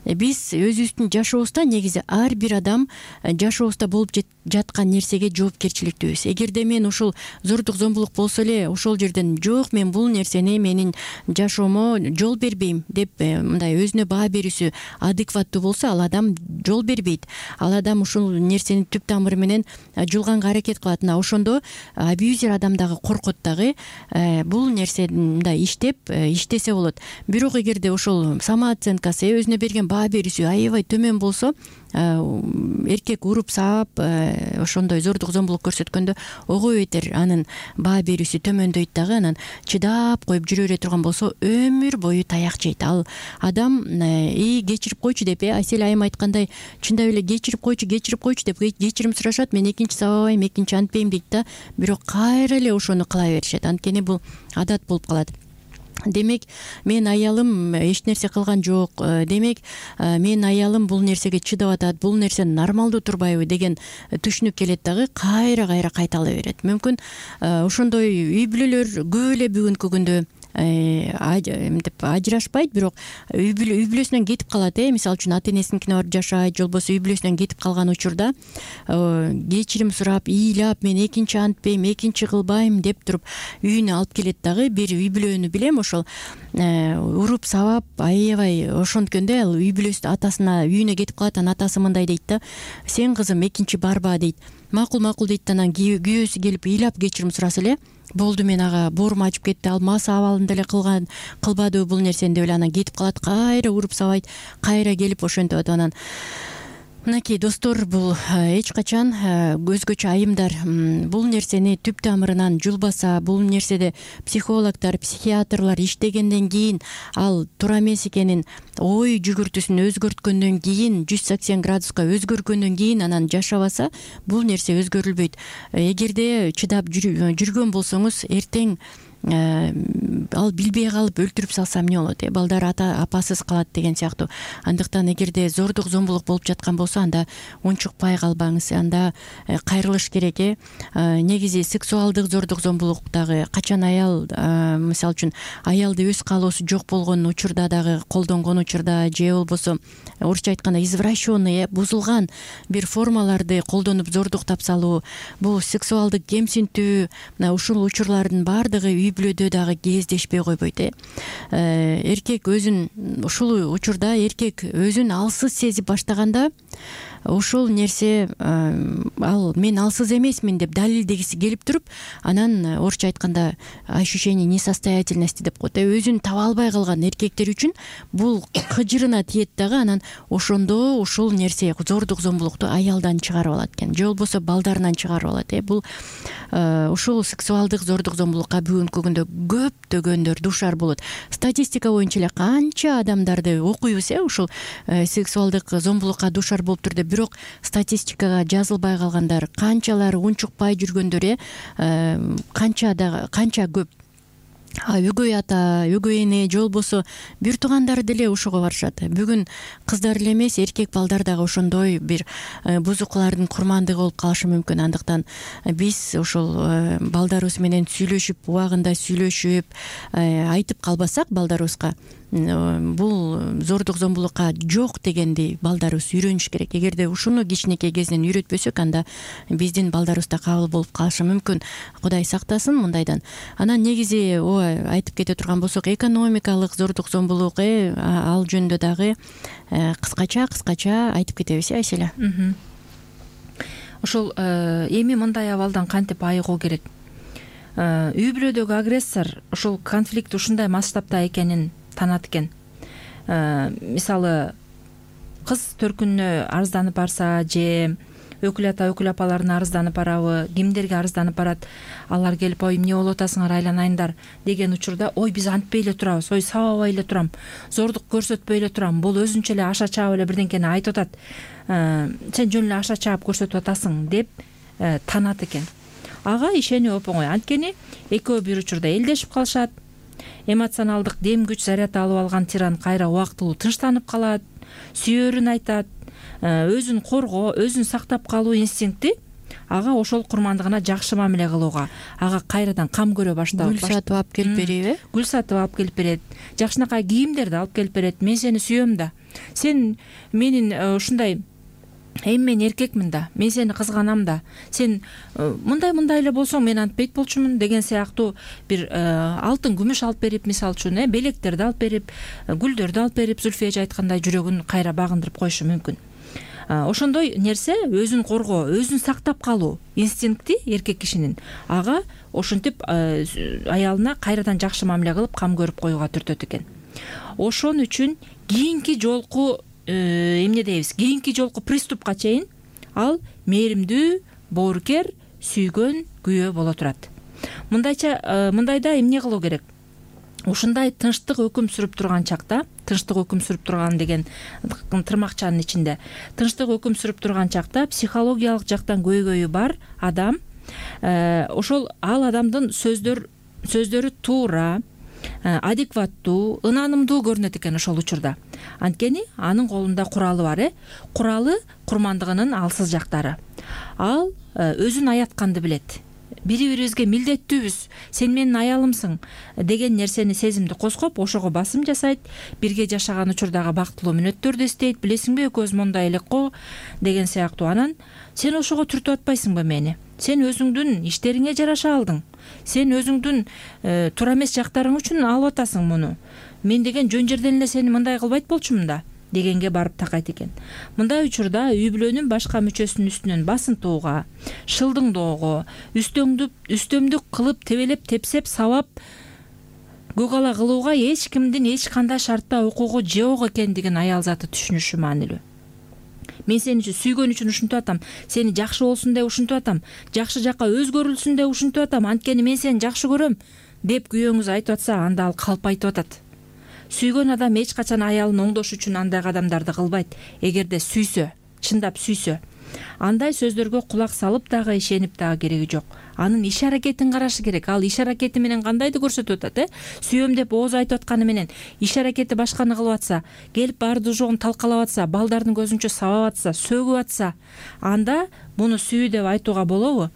Биз өзүбүздүн жашообузда негизи ар бир адам жашообузда болуп жаткан нерсеге жоопкерчиликтүүбүз. Эгерде мен ушул зордук, зомбулук болсо эле ошол жерден жок, мен бул нерсени менин жашоомо жол бербейм деп мындай өзүнө баа берүүсү адекваттуу болсо, ал адам жол бербейт. Ал адам ушул нерсени түп тамыры менен жулганга аракет кылат. Мына ошондо абьюзер адам дагы коркот дагы, бул нерсе мындай иштеп иштесе болот. Бирок эгерде ошол самооценкасы, өзүнө берген баа берүүсү аябай төмөн болсо, эркек уруп саап ошондой зордук, зомбулук көрсөткөндө ого бетер анын баа берүүсү төмөндөйт дагы, анан чыдап коюп жүрө бере турган болсо өмүр бою таяк жейт. Ал адам и кечирип койчу деп, э Айсел айым айткандай, чындап эле кечирип койчу, кечирип койчу деп кечирим сурашат, мен экинчи сабабайм, экинчи антпейм дейт да, бирок кайра эле ошону кыла беришет. Анткени бул адат болуп калат. демек менин аялым эч нерсе кылган жок, демек менин аялым бул нерсеге чыдап атат, бул нерсе нормалдуу турбайбы деген түшүнүк келет дагы кайра кайра кайталай берет. Мүмкүн ошондой үй бүлөлөр көп эле бүгүнкү күндө мынтип ажырашпайт, бирок үй бүлөсүнөн кетип калат. Э мисалы үчүн ата энесиникине барып жашайт, же болбосо үй бүлөсүнөн кетип калган учурда кечирим сурап, ыйлап, мен экинчи антпейм, экинчи кылбайм деп туруп үйүнө алып келет дагы. Бир үй бүлөнү билем, ошол уруп сабап аябай ошонткөндө ал үй бүлөсү атасына үйүнө кетип калат. Анан атасы мындай дейт да: сен кызым экинчи барба дейт. Макул макул дейт. Анан күйөөсү келип ыйлап кечирим сураса эле: болду, мен ага боорум ачып кетти, ал мас абалында эле кылган кылбадыбы бул нерсени деп эле анан кетип калат. Кайра уруп сабайт, кайра келип ошентип атат. Анан мынакей достор, бул эч качан өзгөчө айымдар бул нерсени түп тамырынан жулбаса, бул нерседе психологдор, психиатрлар иштегенден кийин ал туура эмес экенин, ой жүгүртүүсүн өзгөрткөндөн кийин, жүз сексен градуска өзгөргөндөн кийин анан жашабаса, бул нерсе өзгөрүлбөйт. Эгерде чыдап жүргөн болсоңуз, эртең ал билбей калып өлтүрүп салсам эмне болот, э балдар ата апасыз калат деген сыяктуу. Андыктан эгерде зордук зомбулук болуп жаткан болсо, анда унчукпай калбаңыз, анда кайрылыш керек. э Негизи сексуалдык зордук зомбулук дагы качан аял, мисалы үчүн аялды өз каалоосу жок болгон учурда дагы, колдонгон учурда, же болбосо орусча айтканда извращенный, бузулган бир формаларды колдонуп зордуктап салуу, бул сексуалдык кемсинтүү, мына ушул учурлардын баардыгы үй бүлөдө дагы кездешпей койбойт. э Эркек өзүн ушул учурда эркек өзүн алсыз сезип баштаганда, ошол нерсе ал мен алсыз эмесмин деп далилдегиси келип туруп, анан орусча айтканда ощущение несостоятельности деп коет. Өзүн таба албай калган эркектер үчүн бул кыжырына тиет дагы. Анан ошондо ушул нерсе зордук зомбулукту аялдан чыгарып алат экен, же болбосо балдарынан чыгарып алат. э Бул ушул сексуалдык зордук зомбулукка бүгүнкү күндө көптөгөндөр душар болот. Статистика боюнча эле канча адамдарды окуйбуз, э ушул сексуалдык зомбулукка душар болуптур деп, бирок статистикага жазылбай калгандар канчалар, унчукпай жүргөндөр э канча да канча көп. Өгөй ата, өгөй эне, же болбосо бир туугандары деле ошого барышат. Бүгүн кыздар эле эмес, эркек балдар дагы ошондой бир бузукулардын курмандыгы болуп калышы мүмкүн. Андыктан биз ошол балдарыбыз менен сүйлөшүп, убагында сүйлөшүп айтып калбасак балдарыбызга, бул зордук зомбулукка жок дегенди балдарыбыз үйрөнүш керек. Эгерде ушуну кичинекей кезинен үйрөтпөсөк, анда биздин балдарыбыз да кабыл болуп калышы мүмкүн. Кудай сактасын мындайдан. Анан негизи айтып кете турган болсок, экономикалык зордук зомбулук, э ал жөнүндө дагы кыскача кыскача айтып кетебиз, э Айселя. Ошол эми мындай абалдан кантип айыгуу керек? Үй бүлөдөгү агрессор ушул конфликт ушундай масштабта экенин танат экен. Мисалы, кыз төркүнүнө арызданып барса, же өкүл ата, өкүл апаларына арызданып барабы, кимдерге арызданып барат, алар келип: ой, эмне болуп атасыңар, айланайындар деген учурда, ой, биз антпей эле турабыз, ой, сабабай эле турам, зордук көрсөтпөй эле турам, бул өзүнчө эле аша чаап эле бирдеңкени айтып атат, сен жөн эле аша чаап көрсөтүп атасың деп танат экен. Ага ишенүү оп оңой. Анткени экөө бир учурда элдешип калышат. Эмоционалдык дем күч заряд алып алган тиран кайра убактылуу тынчтанып калат, сүйөрүн айтат, өзүн коргоо, өзүн сактап калуу инстинкти ага ошол курмандыгына жакшы мамиле кылууга, ага кайрадан кам көрө баштап, гүл сатып алып келип береби? Гүл сатып алып келип берет, жакшынакай кийимдерди алып келип берет. Мен сени сүйөм да, сен менин ушундай эми мен эркекмин да, мен сени кызганам да, сен мындай мындай эле болсоң мен антпейт болчумун деген сыяктуу бир алтын күмүш алып берип, мисалы үчүн, э белектерди алып берип, гүлдөрдү алып берип, Зүлфия эже айткандай жүрөгүн кайра багындырып коюшу мүмкүн. Ошондой нерсе өзүн коргоо, өзүн сактап калуу инстинкти эркек кишинин, ага ошентип аялына кайрадан жакшы мамиле кылып кам көрүп коюуга түртөт экен. Ошон үчүн кийинки жолку эмне дейбиз, кийинки жолку приступка чейин ал мээримдүү, боорукер, сүйгөн күйөө боло турат. Мындайча мындайда эмне кылуу керек? Ушундай тынчтык өкүм сүрүп турган чакта, тынчтык өкүм сүрүп турган деген тырмакчанын ичинде, тынчтык өкүм сүрүп турган чакта психологиялык жактан көйгөйү бар адам, ошол ал адамдын сөздөр сөздөрү туура, адекваттуу, ынанымдуу көрүнөт экен ошол учурда. Анткени анын колунда куралы бар, э куралы курмандыгынын алсыз жактары. Ал өзүн аятканды билет. Бири бирибизге милдеттүүбүз, сен менин аялымсың деген нерсени сезимди козгоп, ошого басым жасайт, бирге жашаган учурдагы бактылуу мүнөттөрдү эстейт. Билесиңби, экөөбүз мондай элек го деген сыяктуу. Анан сен ошого түртүп атпайсыңбы мени? Сен өзүңдүн иштериңе жараша алдың. Сен өзүңдүн э, туура эмес жактарың үчүн алып атасың муну. Мен деген жөн жерден эле сени мындай кылбайт болчумун да дегенге барып такайт экен. Мындай учурда үй бүлөнүн башка мүчөсүнүн үстүнөн басынтууга, шылдыңдоого, үстөңдүп үстөмдүк кылып тебелеп, тепсеп, сабап, көк ала кылууга эч кимдин эч кандай шартта укугу жок экендигин аял заты түшүнүшү маанилүү. Мен сени сүйгөн үчүн ушинтип атам, сени жакшы болсун деп ушинтип атам, жакшы жакка өзгөрүлсүн деп ушинтип атам, анткени мен сени жакшы көрөм деп күйөөңүз айтып атса, анда ал калп айтып атат. Сүйгөн адам эч качан аялын оңдош үчүн андай кадамдарды кылбайт. Эгерде сүйсө, чындап сүйсө, андай сөздөргө кулак салып дагы, ишенип дагы кереги жок. Анын иш аракетин карашы керек. Ал иш аракети менен кандайды көрсөтүп атат, э? Сүйөм деп ооз айтып атканы менен иш аракети башканы кылып атса, келип барды жогун талкалап атса, балдардын көзүнчө сабап атса, сөгүп атса, анда буну сүйүү деп айтууга болобу?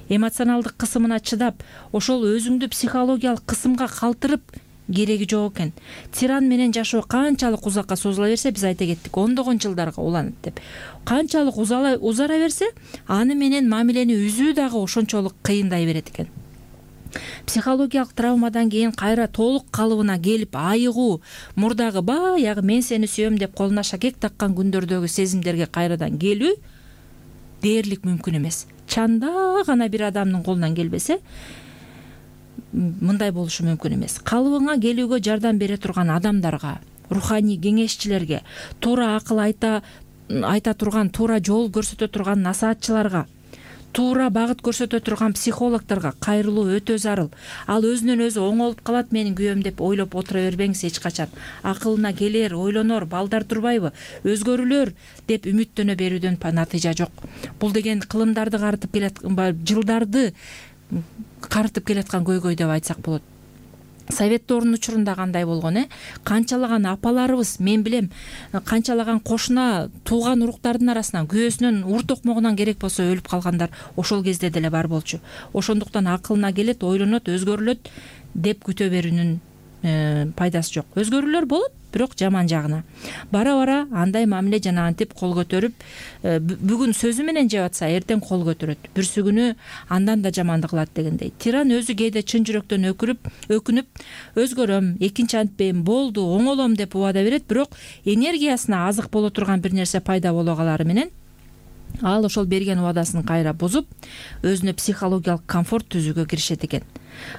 Эмоционалдык кысымына чыдап, ошол өзүңдү психологиялык кысымга калтырып кереги жок экен. Тиран менен жашоо канчалык узакка созула берсе, биз айта кеттик, ондогон жылдарга уланат деп. Канчалык узала узара берсе, аны менен мамилени үзүү дагы ошончолук кыйындай берет экен. Психологиялык травмадан кийин кайра толук калыбына келип, айыгуу, мурдагы баягы мен сени сүйөм деп колуна шакек таккан күндөрдөгү сезимдерге кайрадан келүү дээрлик мүмкүн эмес. Чанда гана бир адамдын колунан келбесе, мындай болушу мүмкүн эмес. Калыбыңа келүүгө жардам бере турган адамдарга, руханий кеңешчилерге, туура акыл айта айта турган, туура жол көрсөтө турган насаатчыларга, туура багыт көрсөтө турган психологдорго кайрылуу өтө зарыл. Ал өзүнөн өзү оңолуп калат менин күйөөм деп ойлоп отура бербеңиз эч качан. Акылына келер, ойлонор, балдар турбайбы, өзгөрүлөр деп үмүттөнө берүүдөн натыйжа жок. Бул деген кылымдарды карытып келаткан, жылдарды карытып келаткан көйгөй деп айтсак болот. Совет доорунун учурунда кандай болгон, э? Канчалаган апаларыбыз, мен билем, канчалаган кошуна, тууган уруктардын арасынан, күйөөсүнөн, ур токмогунан керек болсо өлүп калгандар ошол кезде деле бар болчу. Ошондуктан акылына келет, ойлонот, өзгөрүлөт деп күтө берүүнүн пайдасы жок. Өзгөрүүлөр болот, бирок жаман жагына. Бара-бара андай мамиле жана антип кол көтөрүп, бүгүн сөзү менен жеп атса, эртең кол көтөрөт. Бүрсү күнү андан да жаманды кылат дегендей. Тиран өзү кээде чын жүрөктөн өкүрүп, өкүнүп, өзгөрөм, экинчи антпейм, болду, оңолом деп убада берет, бирок энергиясына азык боло турган бир нерсе пайда боло калары менен ал ошол берген убадасын кайра бузуп, өзүнө психологиялык комфорт түзүүгө киришет экен.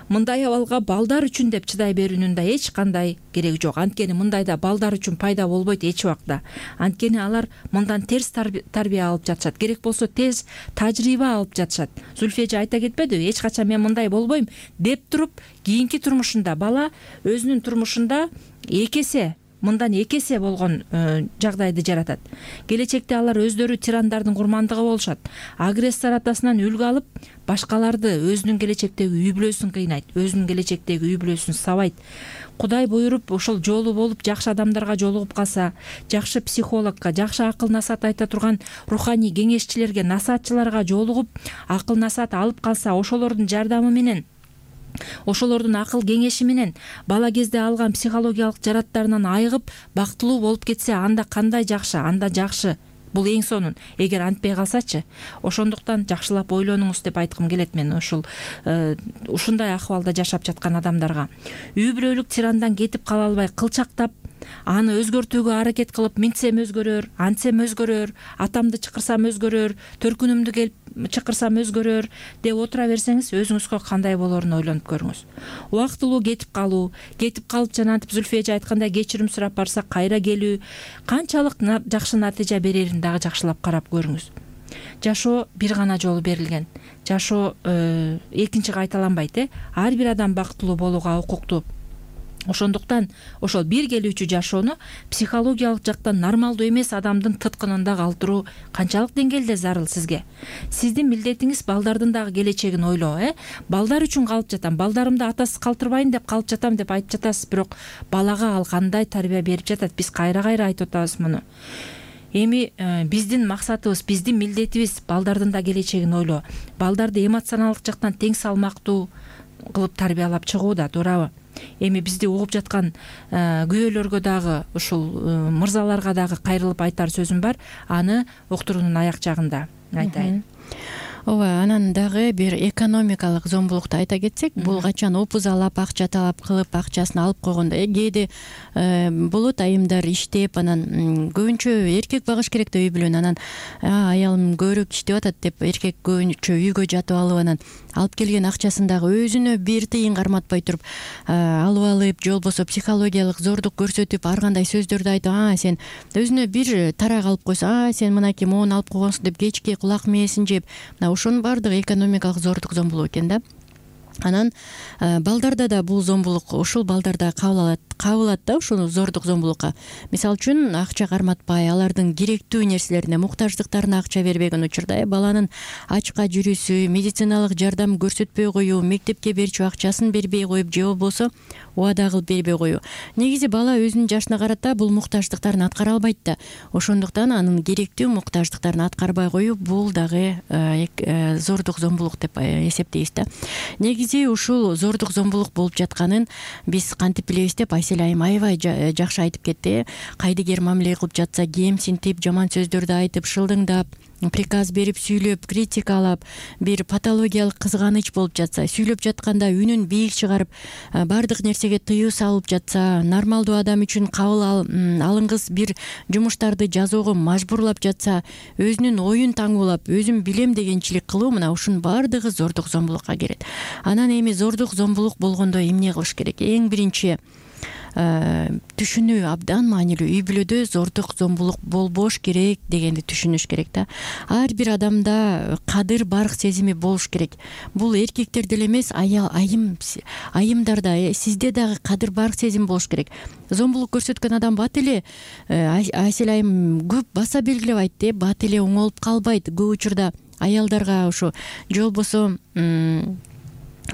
Мындай абалга балдар үчүн деп чыдай берүүнүн да эч кандай кереги жок. Анткени мындайда балдар үчүн пайда болбойт эч убакта. Анткени алар мындан терс тарбия алып жатышат. Керек болсо тез тажрыйба алып жатышат. Зүлфия айта кетпедиби? Эч качан мен мындай болбойм деп туруп, кийинки турмушунда бала өзүнүн турмушунда эки эсе мындан эки эсе болгон жагдайды жаратат. Келечекте алар өздөрү тирандардын курмандыгы болушат. Агрессор атасынан үлгү алып, башкаларды, өзүнүн келечектеги үй бүлөсүн кыйнайт, өзүнүн келечектеги үй бүлөсүн сабайт. Кудай буйруп, ошол жолу болуп, жакшы адамдарга жолугуп калса, жакшы психологко, жакшы акыл насаат айта турган руханий кеңешчилерге, насаатчыларга жолугуп, акыл насаат алып калса, ошолордун жардамы менен, ошолордун акыл кеңеши менен бала кезде алган психологиялык жараттарынан айыгып, бактылуу болуп кетсе, анда кандай жакшы, анда жакшы. Бул эң сонун. Эгер антпай калсачы, ошондуктан жакшылап ойлонуңуз деп айткым келет мен ушул ушундай акыбалда жашап жаткан адамдарга. Үй бүлөлүк тирандан кетип кала албай кылчактап, аны өзгөртүүгө аракет кылып, минтсем өзгөрөр, антсем өзгөрөр, атамды чакырсам өзгөрөр, төркүнүмдү келип чакырсам өзгөрөр деп отура берсеңиз, өзүңүзгө кандай болоорун ойлонуп көрүңүз. Убактылуу кетип калуу, кетип калып жана антип Зүлфия айткандай кечирим сурап барса кайра келүү канчалык жакшы натыйжа берерин дагы жакшылап карап көрүңүз. Жашоо бир гана жолу берилген. Жашоо экинчи кайталанбайт, э? Ар бир адам бактылуу болууга укуктуу. ошондуктан ошол бир келүүчү жашоону психологиялык жактан нормалдуу эмес адамдын тыткынында калтыруу канчалык деңгээлде зарыл сизге? Сиздин милдетиңиз балдардын дагы келечегин ойлоо, э? Балдар үчүн калып жатам, балдарымды атасыз калтырбайын деп калып жатам деп айтып жатасыз, бирок балага ал кандай тарбия берип жатат? Биз кайра-кайра айтып атабыз муну. Эми биздин максатыбыз, биздин милдетибиз балдардын да келечегин ойлоо. Балдарды эмоционалдык жактан тең салмактуу кылып тарбиялап чыгуу да, туурабы? Эми бизди угуп жаткан күйөөлөргө дагы, ушул мырзаларга дагы кайрылып айтар сөзүм бар. Аны уктуруунун аяк жагында айтайын. Ооба, анан дагы бир экономикалык зомбулукту айта кетсек, бул качан опузалап, акча талап кылып, акчасын алып койгондо, кээде болот айымдар иштеп, анан көбүнчө эркек багыш керек да үй бүлөнү. Анан аялым көбүрөөк иштеп атат деп эркек көбүнчө үйгө жатып алып, анан алып келген акчасын дагы өзүнө бир тыйын карматпай туруп алып алып, же болбосо психологиялык зордук көрсөтүп, ар кандай сөздөрдү айтып, а сен өзүнө бир тарак алып койсоң, а сен мынакей моуну алып койгонсуң деп кечки кулак мээсин жеп, ошонун баардыгы экономикалык зордук зомбулук экен да. Анан балдарда да бул зомбулук, ушул балдарда кабыл алат кабылат да ушуну зордук зомбулукка. Мисалы үчүн акча карматпай, алардын керектүү нерселерине, муктаждыктарына акча бербеген учурда баланын ачка жүрүүсү, медициналык жардам көрсөтпөй коюу, мектепке берчү акчасын бербей коюп, же болбосо убада кылып бербей коюу. Негизи бала өзүнүн жашына карата бул муктаждыктарын аткара албайт да. Ошондуктан анын керектүү муктаждыктарын аткарбай коюу бул дагы зордук зомбулук деп эсептейбиз да. Негизи ушул зордук зомбулук болуп жатканын биз кантип билебиз деп Айсель айым аябай жакшы айтып кетти. Кайдыгер мамиле кылып жатса, кемсинтип, жаман сөздөрдү айтып, шылдыңдап, приказ берип, сүйлөп, критикалап, бир патологиялык кызганыч болуп жатса, сүйлөп жатканда үнүн бийик чыгарып, баардык нерсеге тыюу салып жатса, нормалдуу адам үчүн кабыл алынгыс бир жумуштарды жазууга мажбурлап жатса, өзүнүн оюн таңуулап, өзүм билем дегенчилик кылуу, мына ушунун баардыгы зордук зомбулукка кирет. Анан эми зордук зомбулук болгондо эмне кылыш керек? Эң биринчи түшүнүү абдан маанилүү. Үй бүлөдө зордук зомбулук болбош керек дегенди түшүнүш керек да. Ар бир адамда кадыр барк сезими болуш керек. Бул эркектерде эле эмес, аял айым айымдарда, сизде дагы кадыр барк сезим болуш керек. Зомбулук көрсөткөн адам бат эле, Айсель айым көп баса белгилеп айтты, бат эле оңолуп калбайт. Көп учурда аялдарга ошо же болбосо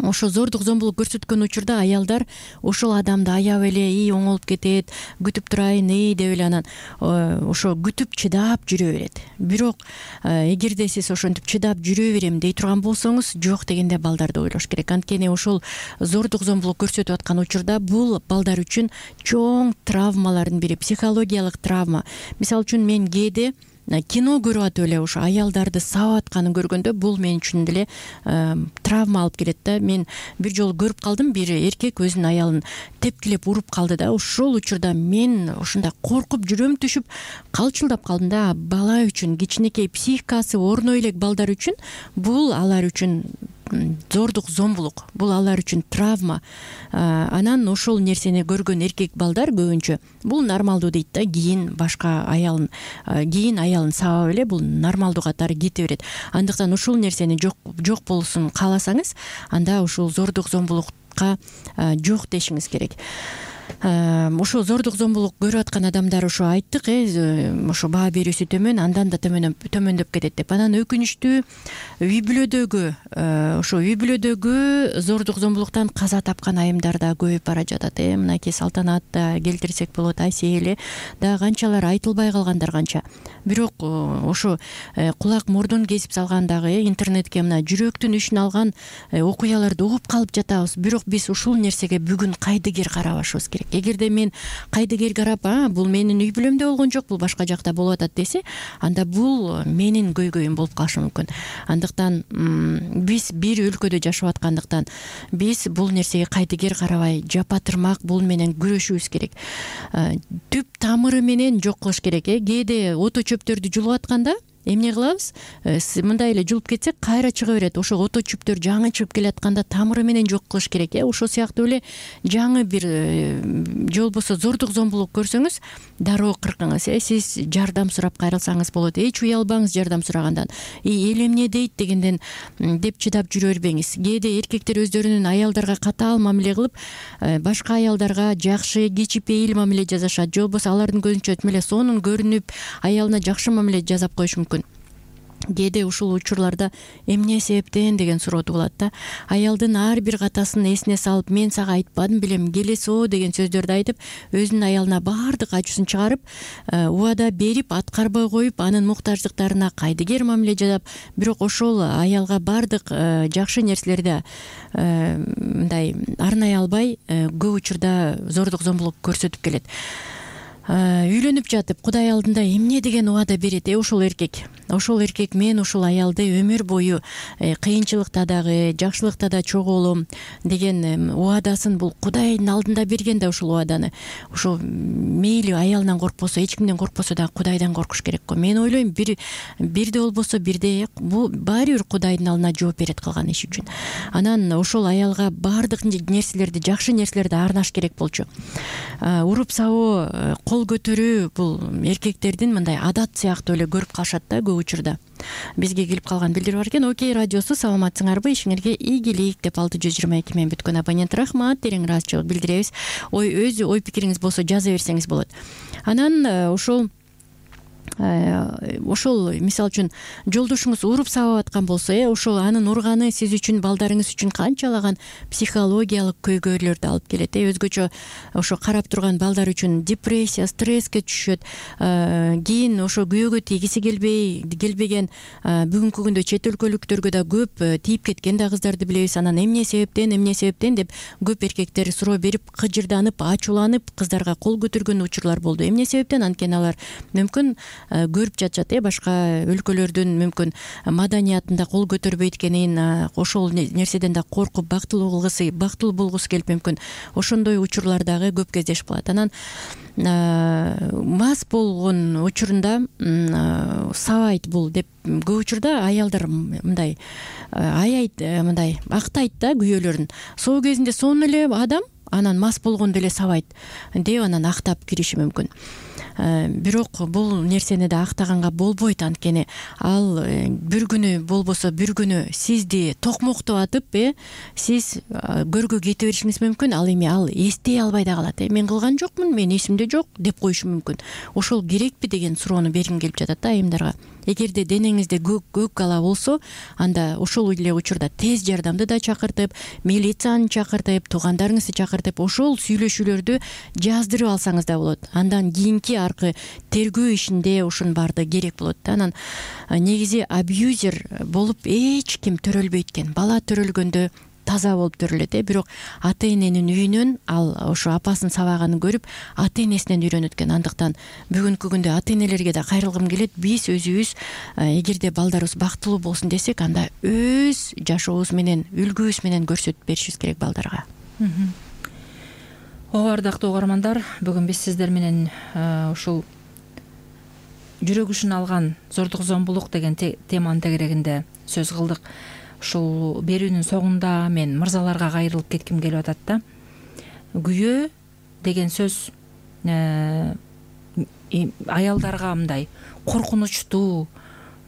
ошо зордук зомбулук көрсөткөн учурда аялдар ошол адамды аяп эле, и оңолуп кетет, күтүп турайын, и деп эле анан ошо күтүп чыдап жүрө берет. Бирок эгерде сиз ошентип чыдап жүрө берем дей турган болсоңуз, жок дегенде балдарды ойлош керек. Анткени ошол зордук зомбулук көрсөтүп аткан учурда бул балдар үчүн чоң травмалардын бири, психологиялык травма. Мисалы үчүн мен кээде кино көрүп атып эле ошо аялдарды сабап атканын көргөндө бул мен үчүн деле травма алып келет да. Мен бир жолу көрүп калдым, бир эркек өзүнүн аялын тепкилеп уруп калды да. Ошол учурда мен ушундай коркуп, жүрөм түшүп, калчылдап калдым да. Бала үчүн, кичинекей психикасы орно элек балдар үчүн бул алар үчүн зордук зомбулук, бул алар үчүн травма. Анан ошол нерсени көргөн эркек балдар көбүнчө бул нормалдуу дейт да. Кийин башка аялын кийин аялын сабап эле бул нормалдуу катары кете берет. Андыктан ушул нерсени жок жок болуусун кааласаңыз, анда ушул зордук зомбулукка жок дешиңиз керек. Ошо зордук зомбулук көрүп аткан адамдар ошо айттык, э ошо баа берүүсү төмөн, андан да төмөндөп төмөндөп кетет деп. Анан өкүнүчтүү үй бүлөдөгү ошо үй бүлөдөгү зордук зомбулуктан каза тапкан айымдар да көбөйүп бара жатат. Э мынакей Салтанат да келтирсек болот, Айсель да канчалар айтылбай калгандар канча. Бирок ошо кулак мурдун кесип салгандагы интернетке мына жүрөктүн ишин алган окуяларды угуп калып жатабыз. Бирок биз ушул нерсеге бүгүн кайдыгер карабашыбыз керек. Эгерде мен кайдыгер карап, а бул менин үй бүлөмдө болгон жок, бул башка жакта болуп атат десе, анда бул менин көйгөйүм болуп калышы мүмкүн. Андыктан биз бир өлкөдө жашап аткандыктан биз бул нерсеге кайдыгер карабай, жапа-тырмак бул менен күрөшүбүз керек. Түп тамыры менен жок кылыш керек. Э кээде ото чөптөрдү жулуп атканда эмне кылабыз, мындай эле жулуп кетсек кайра чыга берет. Ошо ото чүптөр жаңы чыгып келатканда тамыры менен жок кылыш керек. э Ошол сыяктуу эле жаңы бир же болбосо зордук зомбулук көрсөңүз дароо кыркыңыз. э Сиз жардам сурап кайрылсаңыз болот. Эч уялбаңыз жардам сурагандан. Эл эмне дейт дегенден деп чыдап жүрө бербеңиз. Кээде эркектер өздөрүнүн аялдарга катаал мамиле кылып, башка аялдарга жакшы кичипейил мамиле жасашат. Же болбосо алардын көзүнчө тим эле сонун көрүнүп, аялына жакшы мамиле жасап коюш мүмкүн. Кээде ушул учурларда эмне себептен деген суроо туулат да. Аялдын ар бир катасын эсине салып, мен сага айтпадым белем, келесо деген сөздөрдү айтып, өзүнүн аялына баардык ачуусун чыгарып, убада берип, аткарбай коюп, анын муктаждыктарына кайдыгер мамиле жасап, бирок ошол аялга баардык жакшы нерселерди мындай арнай албай, көп учурда зордук зомбулук көрсөтүп келет. Үйлөнүп жатып Кудай алдында эмне деген убада берет э ошол эркек. Ошол эркек мен ушул аялды өмүр бою кыйынчылыкта дагы, жакшылыкта да чогулум деген убадасын бул Кудайдын алдында берген да ушул убаданы. Ошо мейли аялынан коркпосо, эч кимден коркпосо дагы Кудайдан коркуш керек го. Мен ойлойм, бир бирде болбосо бирде бул баары бир Кудайдын алдына жооп берет кылган иш үчүн. Анан ошол аялга баардык нерселерди, жакшы нерселерди арнаш керек болчу. Уруп сабоо, кол көтөрүү бул эркектердин мындай адат сыяктуу эле көрүп калышат да көп учурда. Бизге келип калган билдирип бар экен. Окей радиосу, саламатсыңарбы? Ишиңерге ийгилик деп алты жүз жыйырма эки мен бүткөн абонент рахмат, терең ыраазычылык билдиребиз. Ой өз ой пикириңиз болсо жаза берсеңиз болот. Анан ошол ошол мисалы үчүн жолдошуңуз уруп сабап аткан болсо, э ошол анын урганы сиз үчүн, балдарыңыз үчүн канчалаган психологиялык көйгөйлөрдү алып келет. э Өзгөчө ошо карап турган балдар үчүн депрессия, стресске түшөт. Кийин ошо күйөөгө тийгиси келбей келбеген бүгүнкү күндө чет өлкөлүктөргө да көп тийип кеткен да кыздарды билебиз. Анан эмне себептен, эмне себептен деп көп эркектер суроо берип, кыжырданып, ачууланып кыздарга кол көтөргөн учурлар болду. Эмне себептен? Анткени алар мүмкүн көрүп жатышат, э башка өлкөлөрдүн мүмкүн маданиятында кол көтөрбөйт экенин, ошол нерседен да коркуп бактылуу кылгысы, бактылуу болгусу келип мүмкүн ошондой учурлар дагы көп кездешип калат. Анан мас болгон учурунда сабайт бул деп көп учурда аялдар мындай аябайт, мындай актайт да күйөөлөрүн. Соо кезинде сонун эле адам, анан мас болгондо эле сабайт деп анан актап кириши мүмкүн. Бирок бул нерсени да актаганга болбойт. Анткени ал бир күнү болбосо бир күнү сизди токмоктоп атып, э сиз көргө кете беришиңиз мүмкүн. Ал эми ал эстей албай да калат. э Мен кылган жокмун, мен эсимде жок деп коюшу мүмкүн. Ошол керекпи деген суроону бергим келип жатат да айымдарга. Эгерде денеңизде көк көк ала болсо, анда ошол эле учурда тез жардамды да чакыртып, милицияны чакыртып, туугандарыңызды чакыртып, ошол сүйлөшүүлөрдү жаздырып алсаңыз да болот. Андан кийинки аркы тергөө ишинде ушунун баардыгы керек болот да. Анан негизи абьюзер болуп эч ким төрөлбөйт экен. Бала төрөлгөндө таза болуп төрөлөт, э бирок ата эненин үйүнөн ал ошо апасын сабаганын көрүп, ата энесинен үйрөнөт экен. Андыктан бүгүнкү күндө ата энелерге да кайрылгым келет. Биз өзүбүз эгерде балдарыбыз бактылуу болсун десек, анда өз жашообуз менен, үлгүбүз менен көрсөтүп беришибиз керек балдарга. Ооба, ардактуу угармандар, бүгүн биз сиздер менен ушул жүрөк ушун алган зордук зомбулук деген теманын тегерегинде сөз кылдык. Ушул берүүнүн соңунда мен мырзаларга кайрылып кетким келип атат да. Күйөө деген сөз аялдарга мындай коркунучтуу,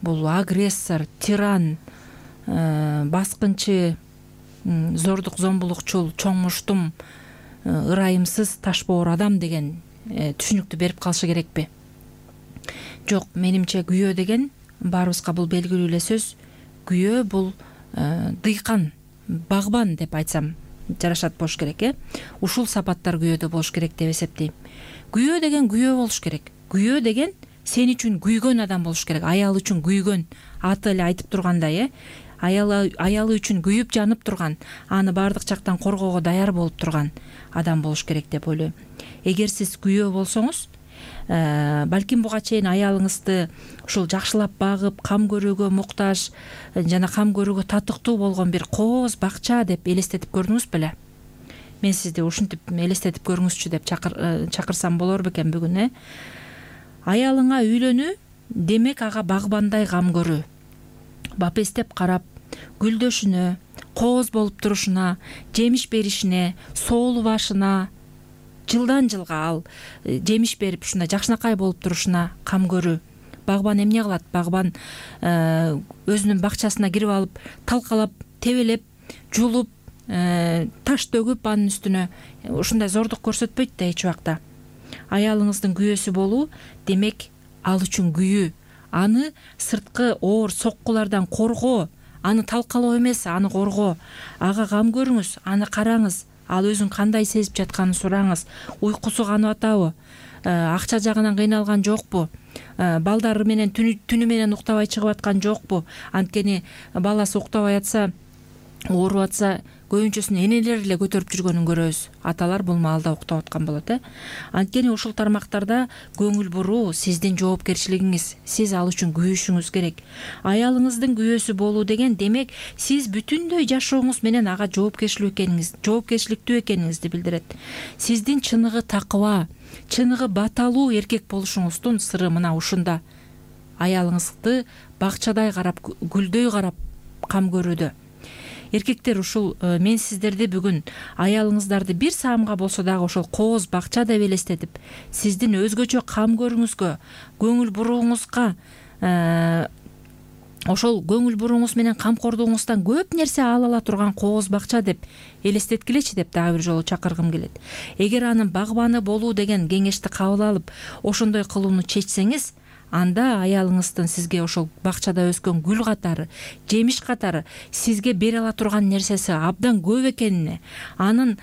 бул агрессор, тиран, баскынчы, зордук зомбулукчул, чоң муштум, ырайымсыз, ташбоор адам деген түшүнүктү берип калышы керекпи? Жок, менимче күйөө деген баарыбызга бул белгилүү эле сөз. Күйөө бул дыйкан, багбан деп айтсам жарашат болуш керек, э ушул сапаттар күйөөдө болуш керек деп эсептейм. Күйөө деген күйөө болуш керек. Күйөө деген сен үчүн күйгөн адам болуш керек. Аял үчүн күйгөн, аты эле айтып тургандай, э аялы аялы үчүн күйүп жанып турган, аны баардык жактан коргоого даяр болуп турган адам болуш керек деп ойлойм. Эгер сиз күйөө болсоңуз, балким буга чейин аялыңызды ушул жакшылап багып, кам көрүүгө муктаж жана кам көрүүгө татыктуу болгон бир кооз бакча деп элестетип көрдүңүз беле? Мен сизди ушинтип элестетип көрүңүзчү деп чакырсам болор бекен бүгүн, э Аялыңа үйлөнүү демек ага багбандай кам көрүү, бапестеп карап, гүлдөшүнө, кооз болуп турушуна, жемиш беришине, соолубашына, жылдан жылга ал жемиш берип ушундай жакшынакай болуп турушуна кам көрүү. Багбан эмне кылат? Багбан өзүнүн бакчасына кирип алып, талкалап, тебелеп, жулуп, таш төгүп анын үстүнө ушундай зордук көрсөтпөйт да эч убакта. Аялыңыздын күйөөсү болуу демек ал үчүн күйүү, аны сырткы оор соккулардан коргоо, аны талкалоо эмес, аны коргоо. Ага кам көрүңүз, аны караңыз, ал өзүн кандай сезип жатканын сураңыз. Уйкусу канып атабы? Акча жагынан кыйналган жокпу? Балдары менен түнү менен уктабай чыгып аткан жокпу? Анткени баласы уктабай атса, ооруп атса, көбүнчөсүн энелер эле көтөрүп жүргөнүн көрөбүз. Аталар бул маалда уктап аткан болот, э. Анткени ушул тармактарда көңүл буруу сиздин жоопкерчилигиңиз. Сиз ал үчүн күйүшүңүз керек. Аялыңыздын күйөөсү болуу деген демек сиз бүтүндөй жашооңуз менен ага жоопкерчилүү экениңиз, жоопкерчиликтүү экениңизди билдирет. Сиздин чыныгы такыба, чыныгы баталуу эркек болушуңуздун сыры мына ушунда. Аялыңызды бакчадай карап, гүлдөй карап кам көрүүдө. Эркектер, ушул мен сиздерди бүгүн аялыңыздарды бир саамга болсо дагы ошол кооз бакча деп элестетип, сиздин өзгөчө кам көрүүңүзгө, көңүл бурууңузга, ошол көңүл бурууңуз менен камкордугуңуздан көп нерсе ала ала турган кооз бакча деп элестеткилечи деп дагы бир жолу чакыргым келет. Эгер анын багбаны болуу деген кеңешти кабыл алып, ошондой кылууну чечсеңиз, анда аялыңыздын сизге ошол бакчада өскөн гүл катары, жемиш катары сизге бере ала турган нерсеси абдан көп экенине, анын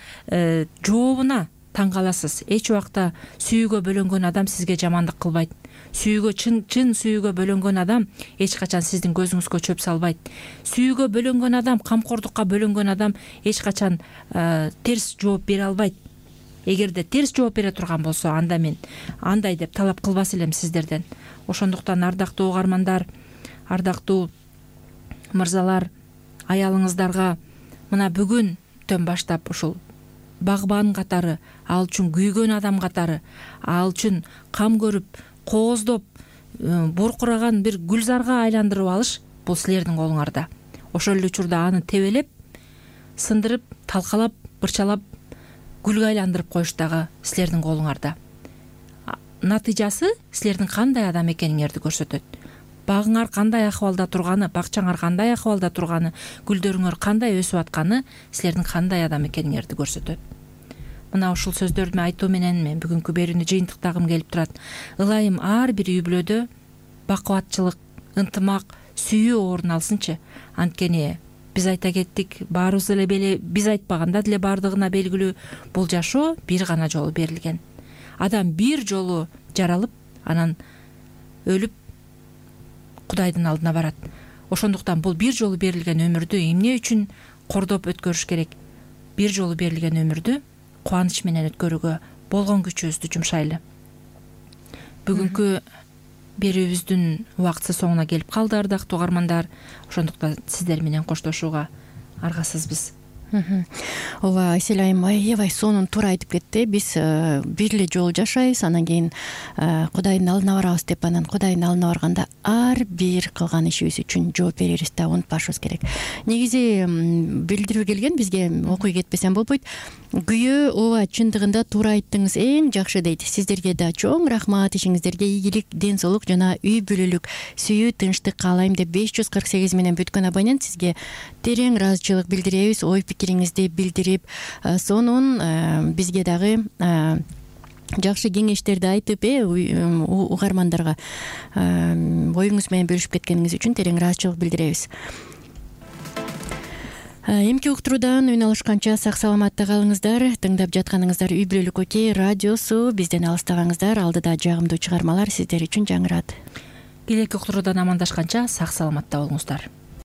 жообуна таң каласыз. Эч убакта сүйүүгө бөлөнгөн адам сизге жамандык кылбайт. Сүйүүгө чын чын сүйүүгө бөлөнгөн адам эч качан сиздин көзүңүзгө чөп салбайт. Сүйүүгө бөлөнгөн адам, камкордукка бөлөнгөн адам эч качан терс жооп бере албайт. Эгерде терс жооп бере турган болсо, анда мен андай деп талап кылбас элем сиздерден. Ошондуктан ардактуу угармандар, ардактуу мырзалар, аялыңыздарга мына бүгүндөн баштап ушул багбан катары, ал үчүн күйгөн адам катары, ал үчүн кам көрүп, кооздоп, буркураган бир гүлзарга айландырып алыш бул силердин колуңарда. Ошол эле учурда аны тебелеп, сындырып, талкалап, бырчалап, гүлгө айландырып коюш дагы силердин колуңарда. Натыйжасы силердин кандай адам экениңерди көрсөтөт. Багыңар кандай акыбалда турганы, бакчаңар кандай акыбалда турганы, гүлдөрүңөр кандай өсүп атканы силердин кандай адам экениңерди көрсөтөт. Мына ушул сөздөрдү айтуу менен мен бүгүнкү берүүнү жыйынтыктагым келип турат. Ылайым ар бир үй бүлөдө бакубатчылык, ынтымак, сүйүү орун алсынчы. Анткени биз айта кеттик, баарыбыз эле биз айтпаганда деле баардыгына белгилүү, бул жашоо бир гана жолу берилген. Адам бир жолу жаралып, анан өлүп Кудайдын алдына барат. Ошондуктан бул бир жолу берилген өмүрдү эмне үчүн кордоп өткөрүш керек? Бир жолу берилген өмүрдү кубаныч менен өткөрүүгө болгон күчүбүздү жумшайлы. Бүгүнкү берүүбүздүн убактысы соңуна келип калды, ардактуу угармандар. Ошондуктан сиздер менен коштошууга аргасызбыз. Ооба, Айсель айым аябай сонун туура айтып кетти. Биз бир эле жолу жашайбыз, анан кийин Кудайдын алдына барабыз деп, анан Кудайдын алдына барганда ар бир кылган ишибиз үчүн жооп беребиз да, унутпашыбыз керек. Негизи билдирип келген, бизге окуй кетпесем болбойт. Күйөө, ооба, чындыгында туура айттыңыз, эң жакшы дейт. Сиздерге да чоң рахмат, ишиңиздерге ийгилик, ден соолук жана үй бүлөлүк сүйүү, тынчтык каалайм деп беш жүз кырк сегиз менен бүткөн абонент сизге терең ыраазычылык билдиребиз. Ой пикириңизди билдирип, сонун бизге дагы жакшы кеңештерди айтып, э угармандарга оюңуз менен бөлүшүп кеткениңиз үчүн терең ыраазычылык билдиребиз. Эмки уктуруудан үн алышканча сак саламатта калыңыздар. Тыңдап жатканыңыздар Үй бүлөлүк окей радиосу. Бизден алыстабаңыздар. Алдыда жагымдуу чыгармалар сиздер үчүн жаңырат. Келеки уктуруудан амандашканча сак саламатта болуңуздар.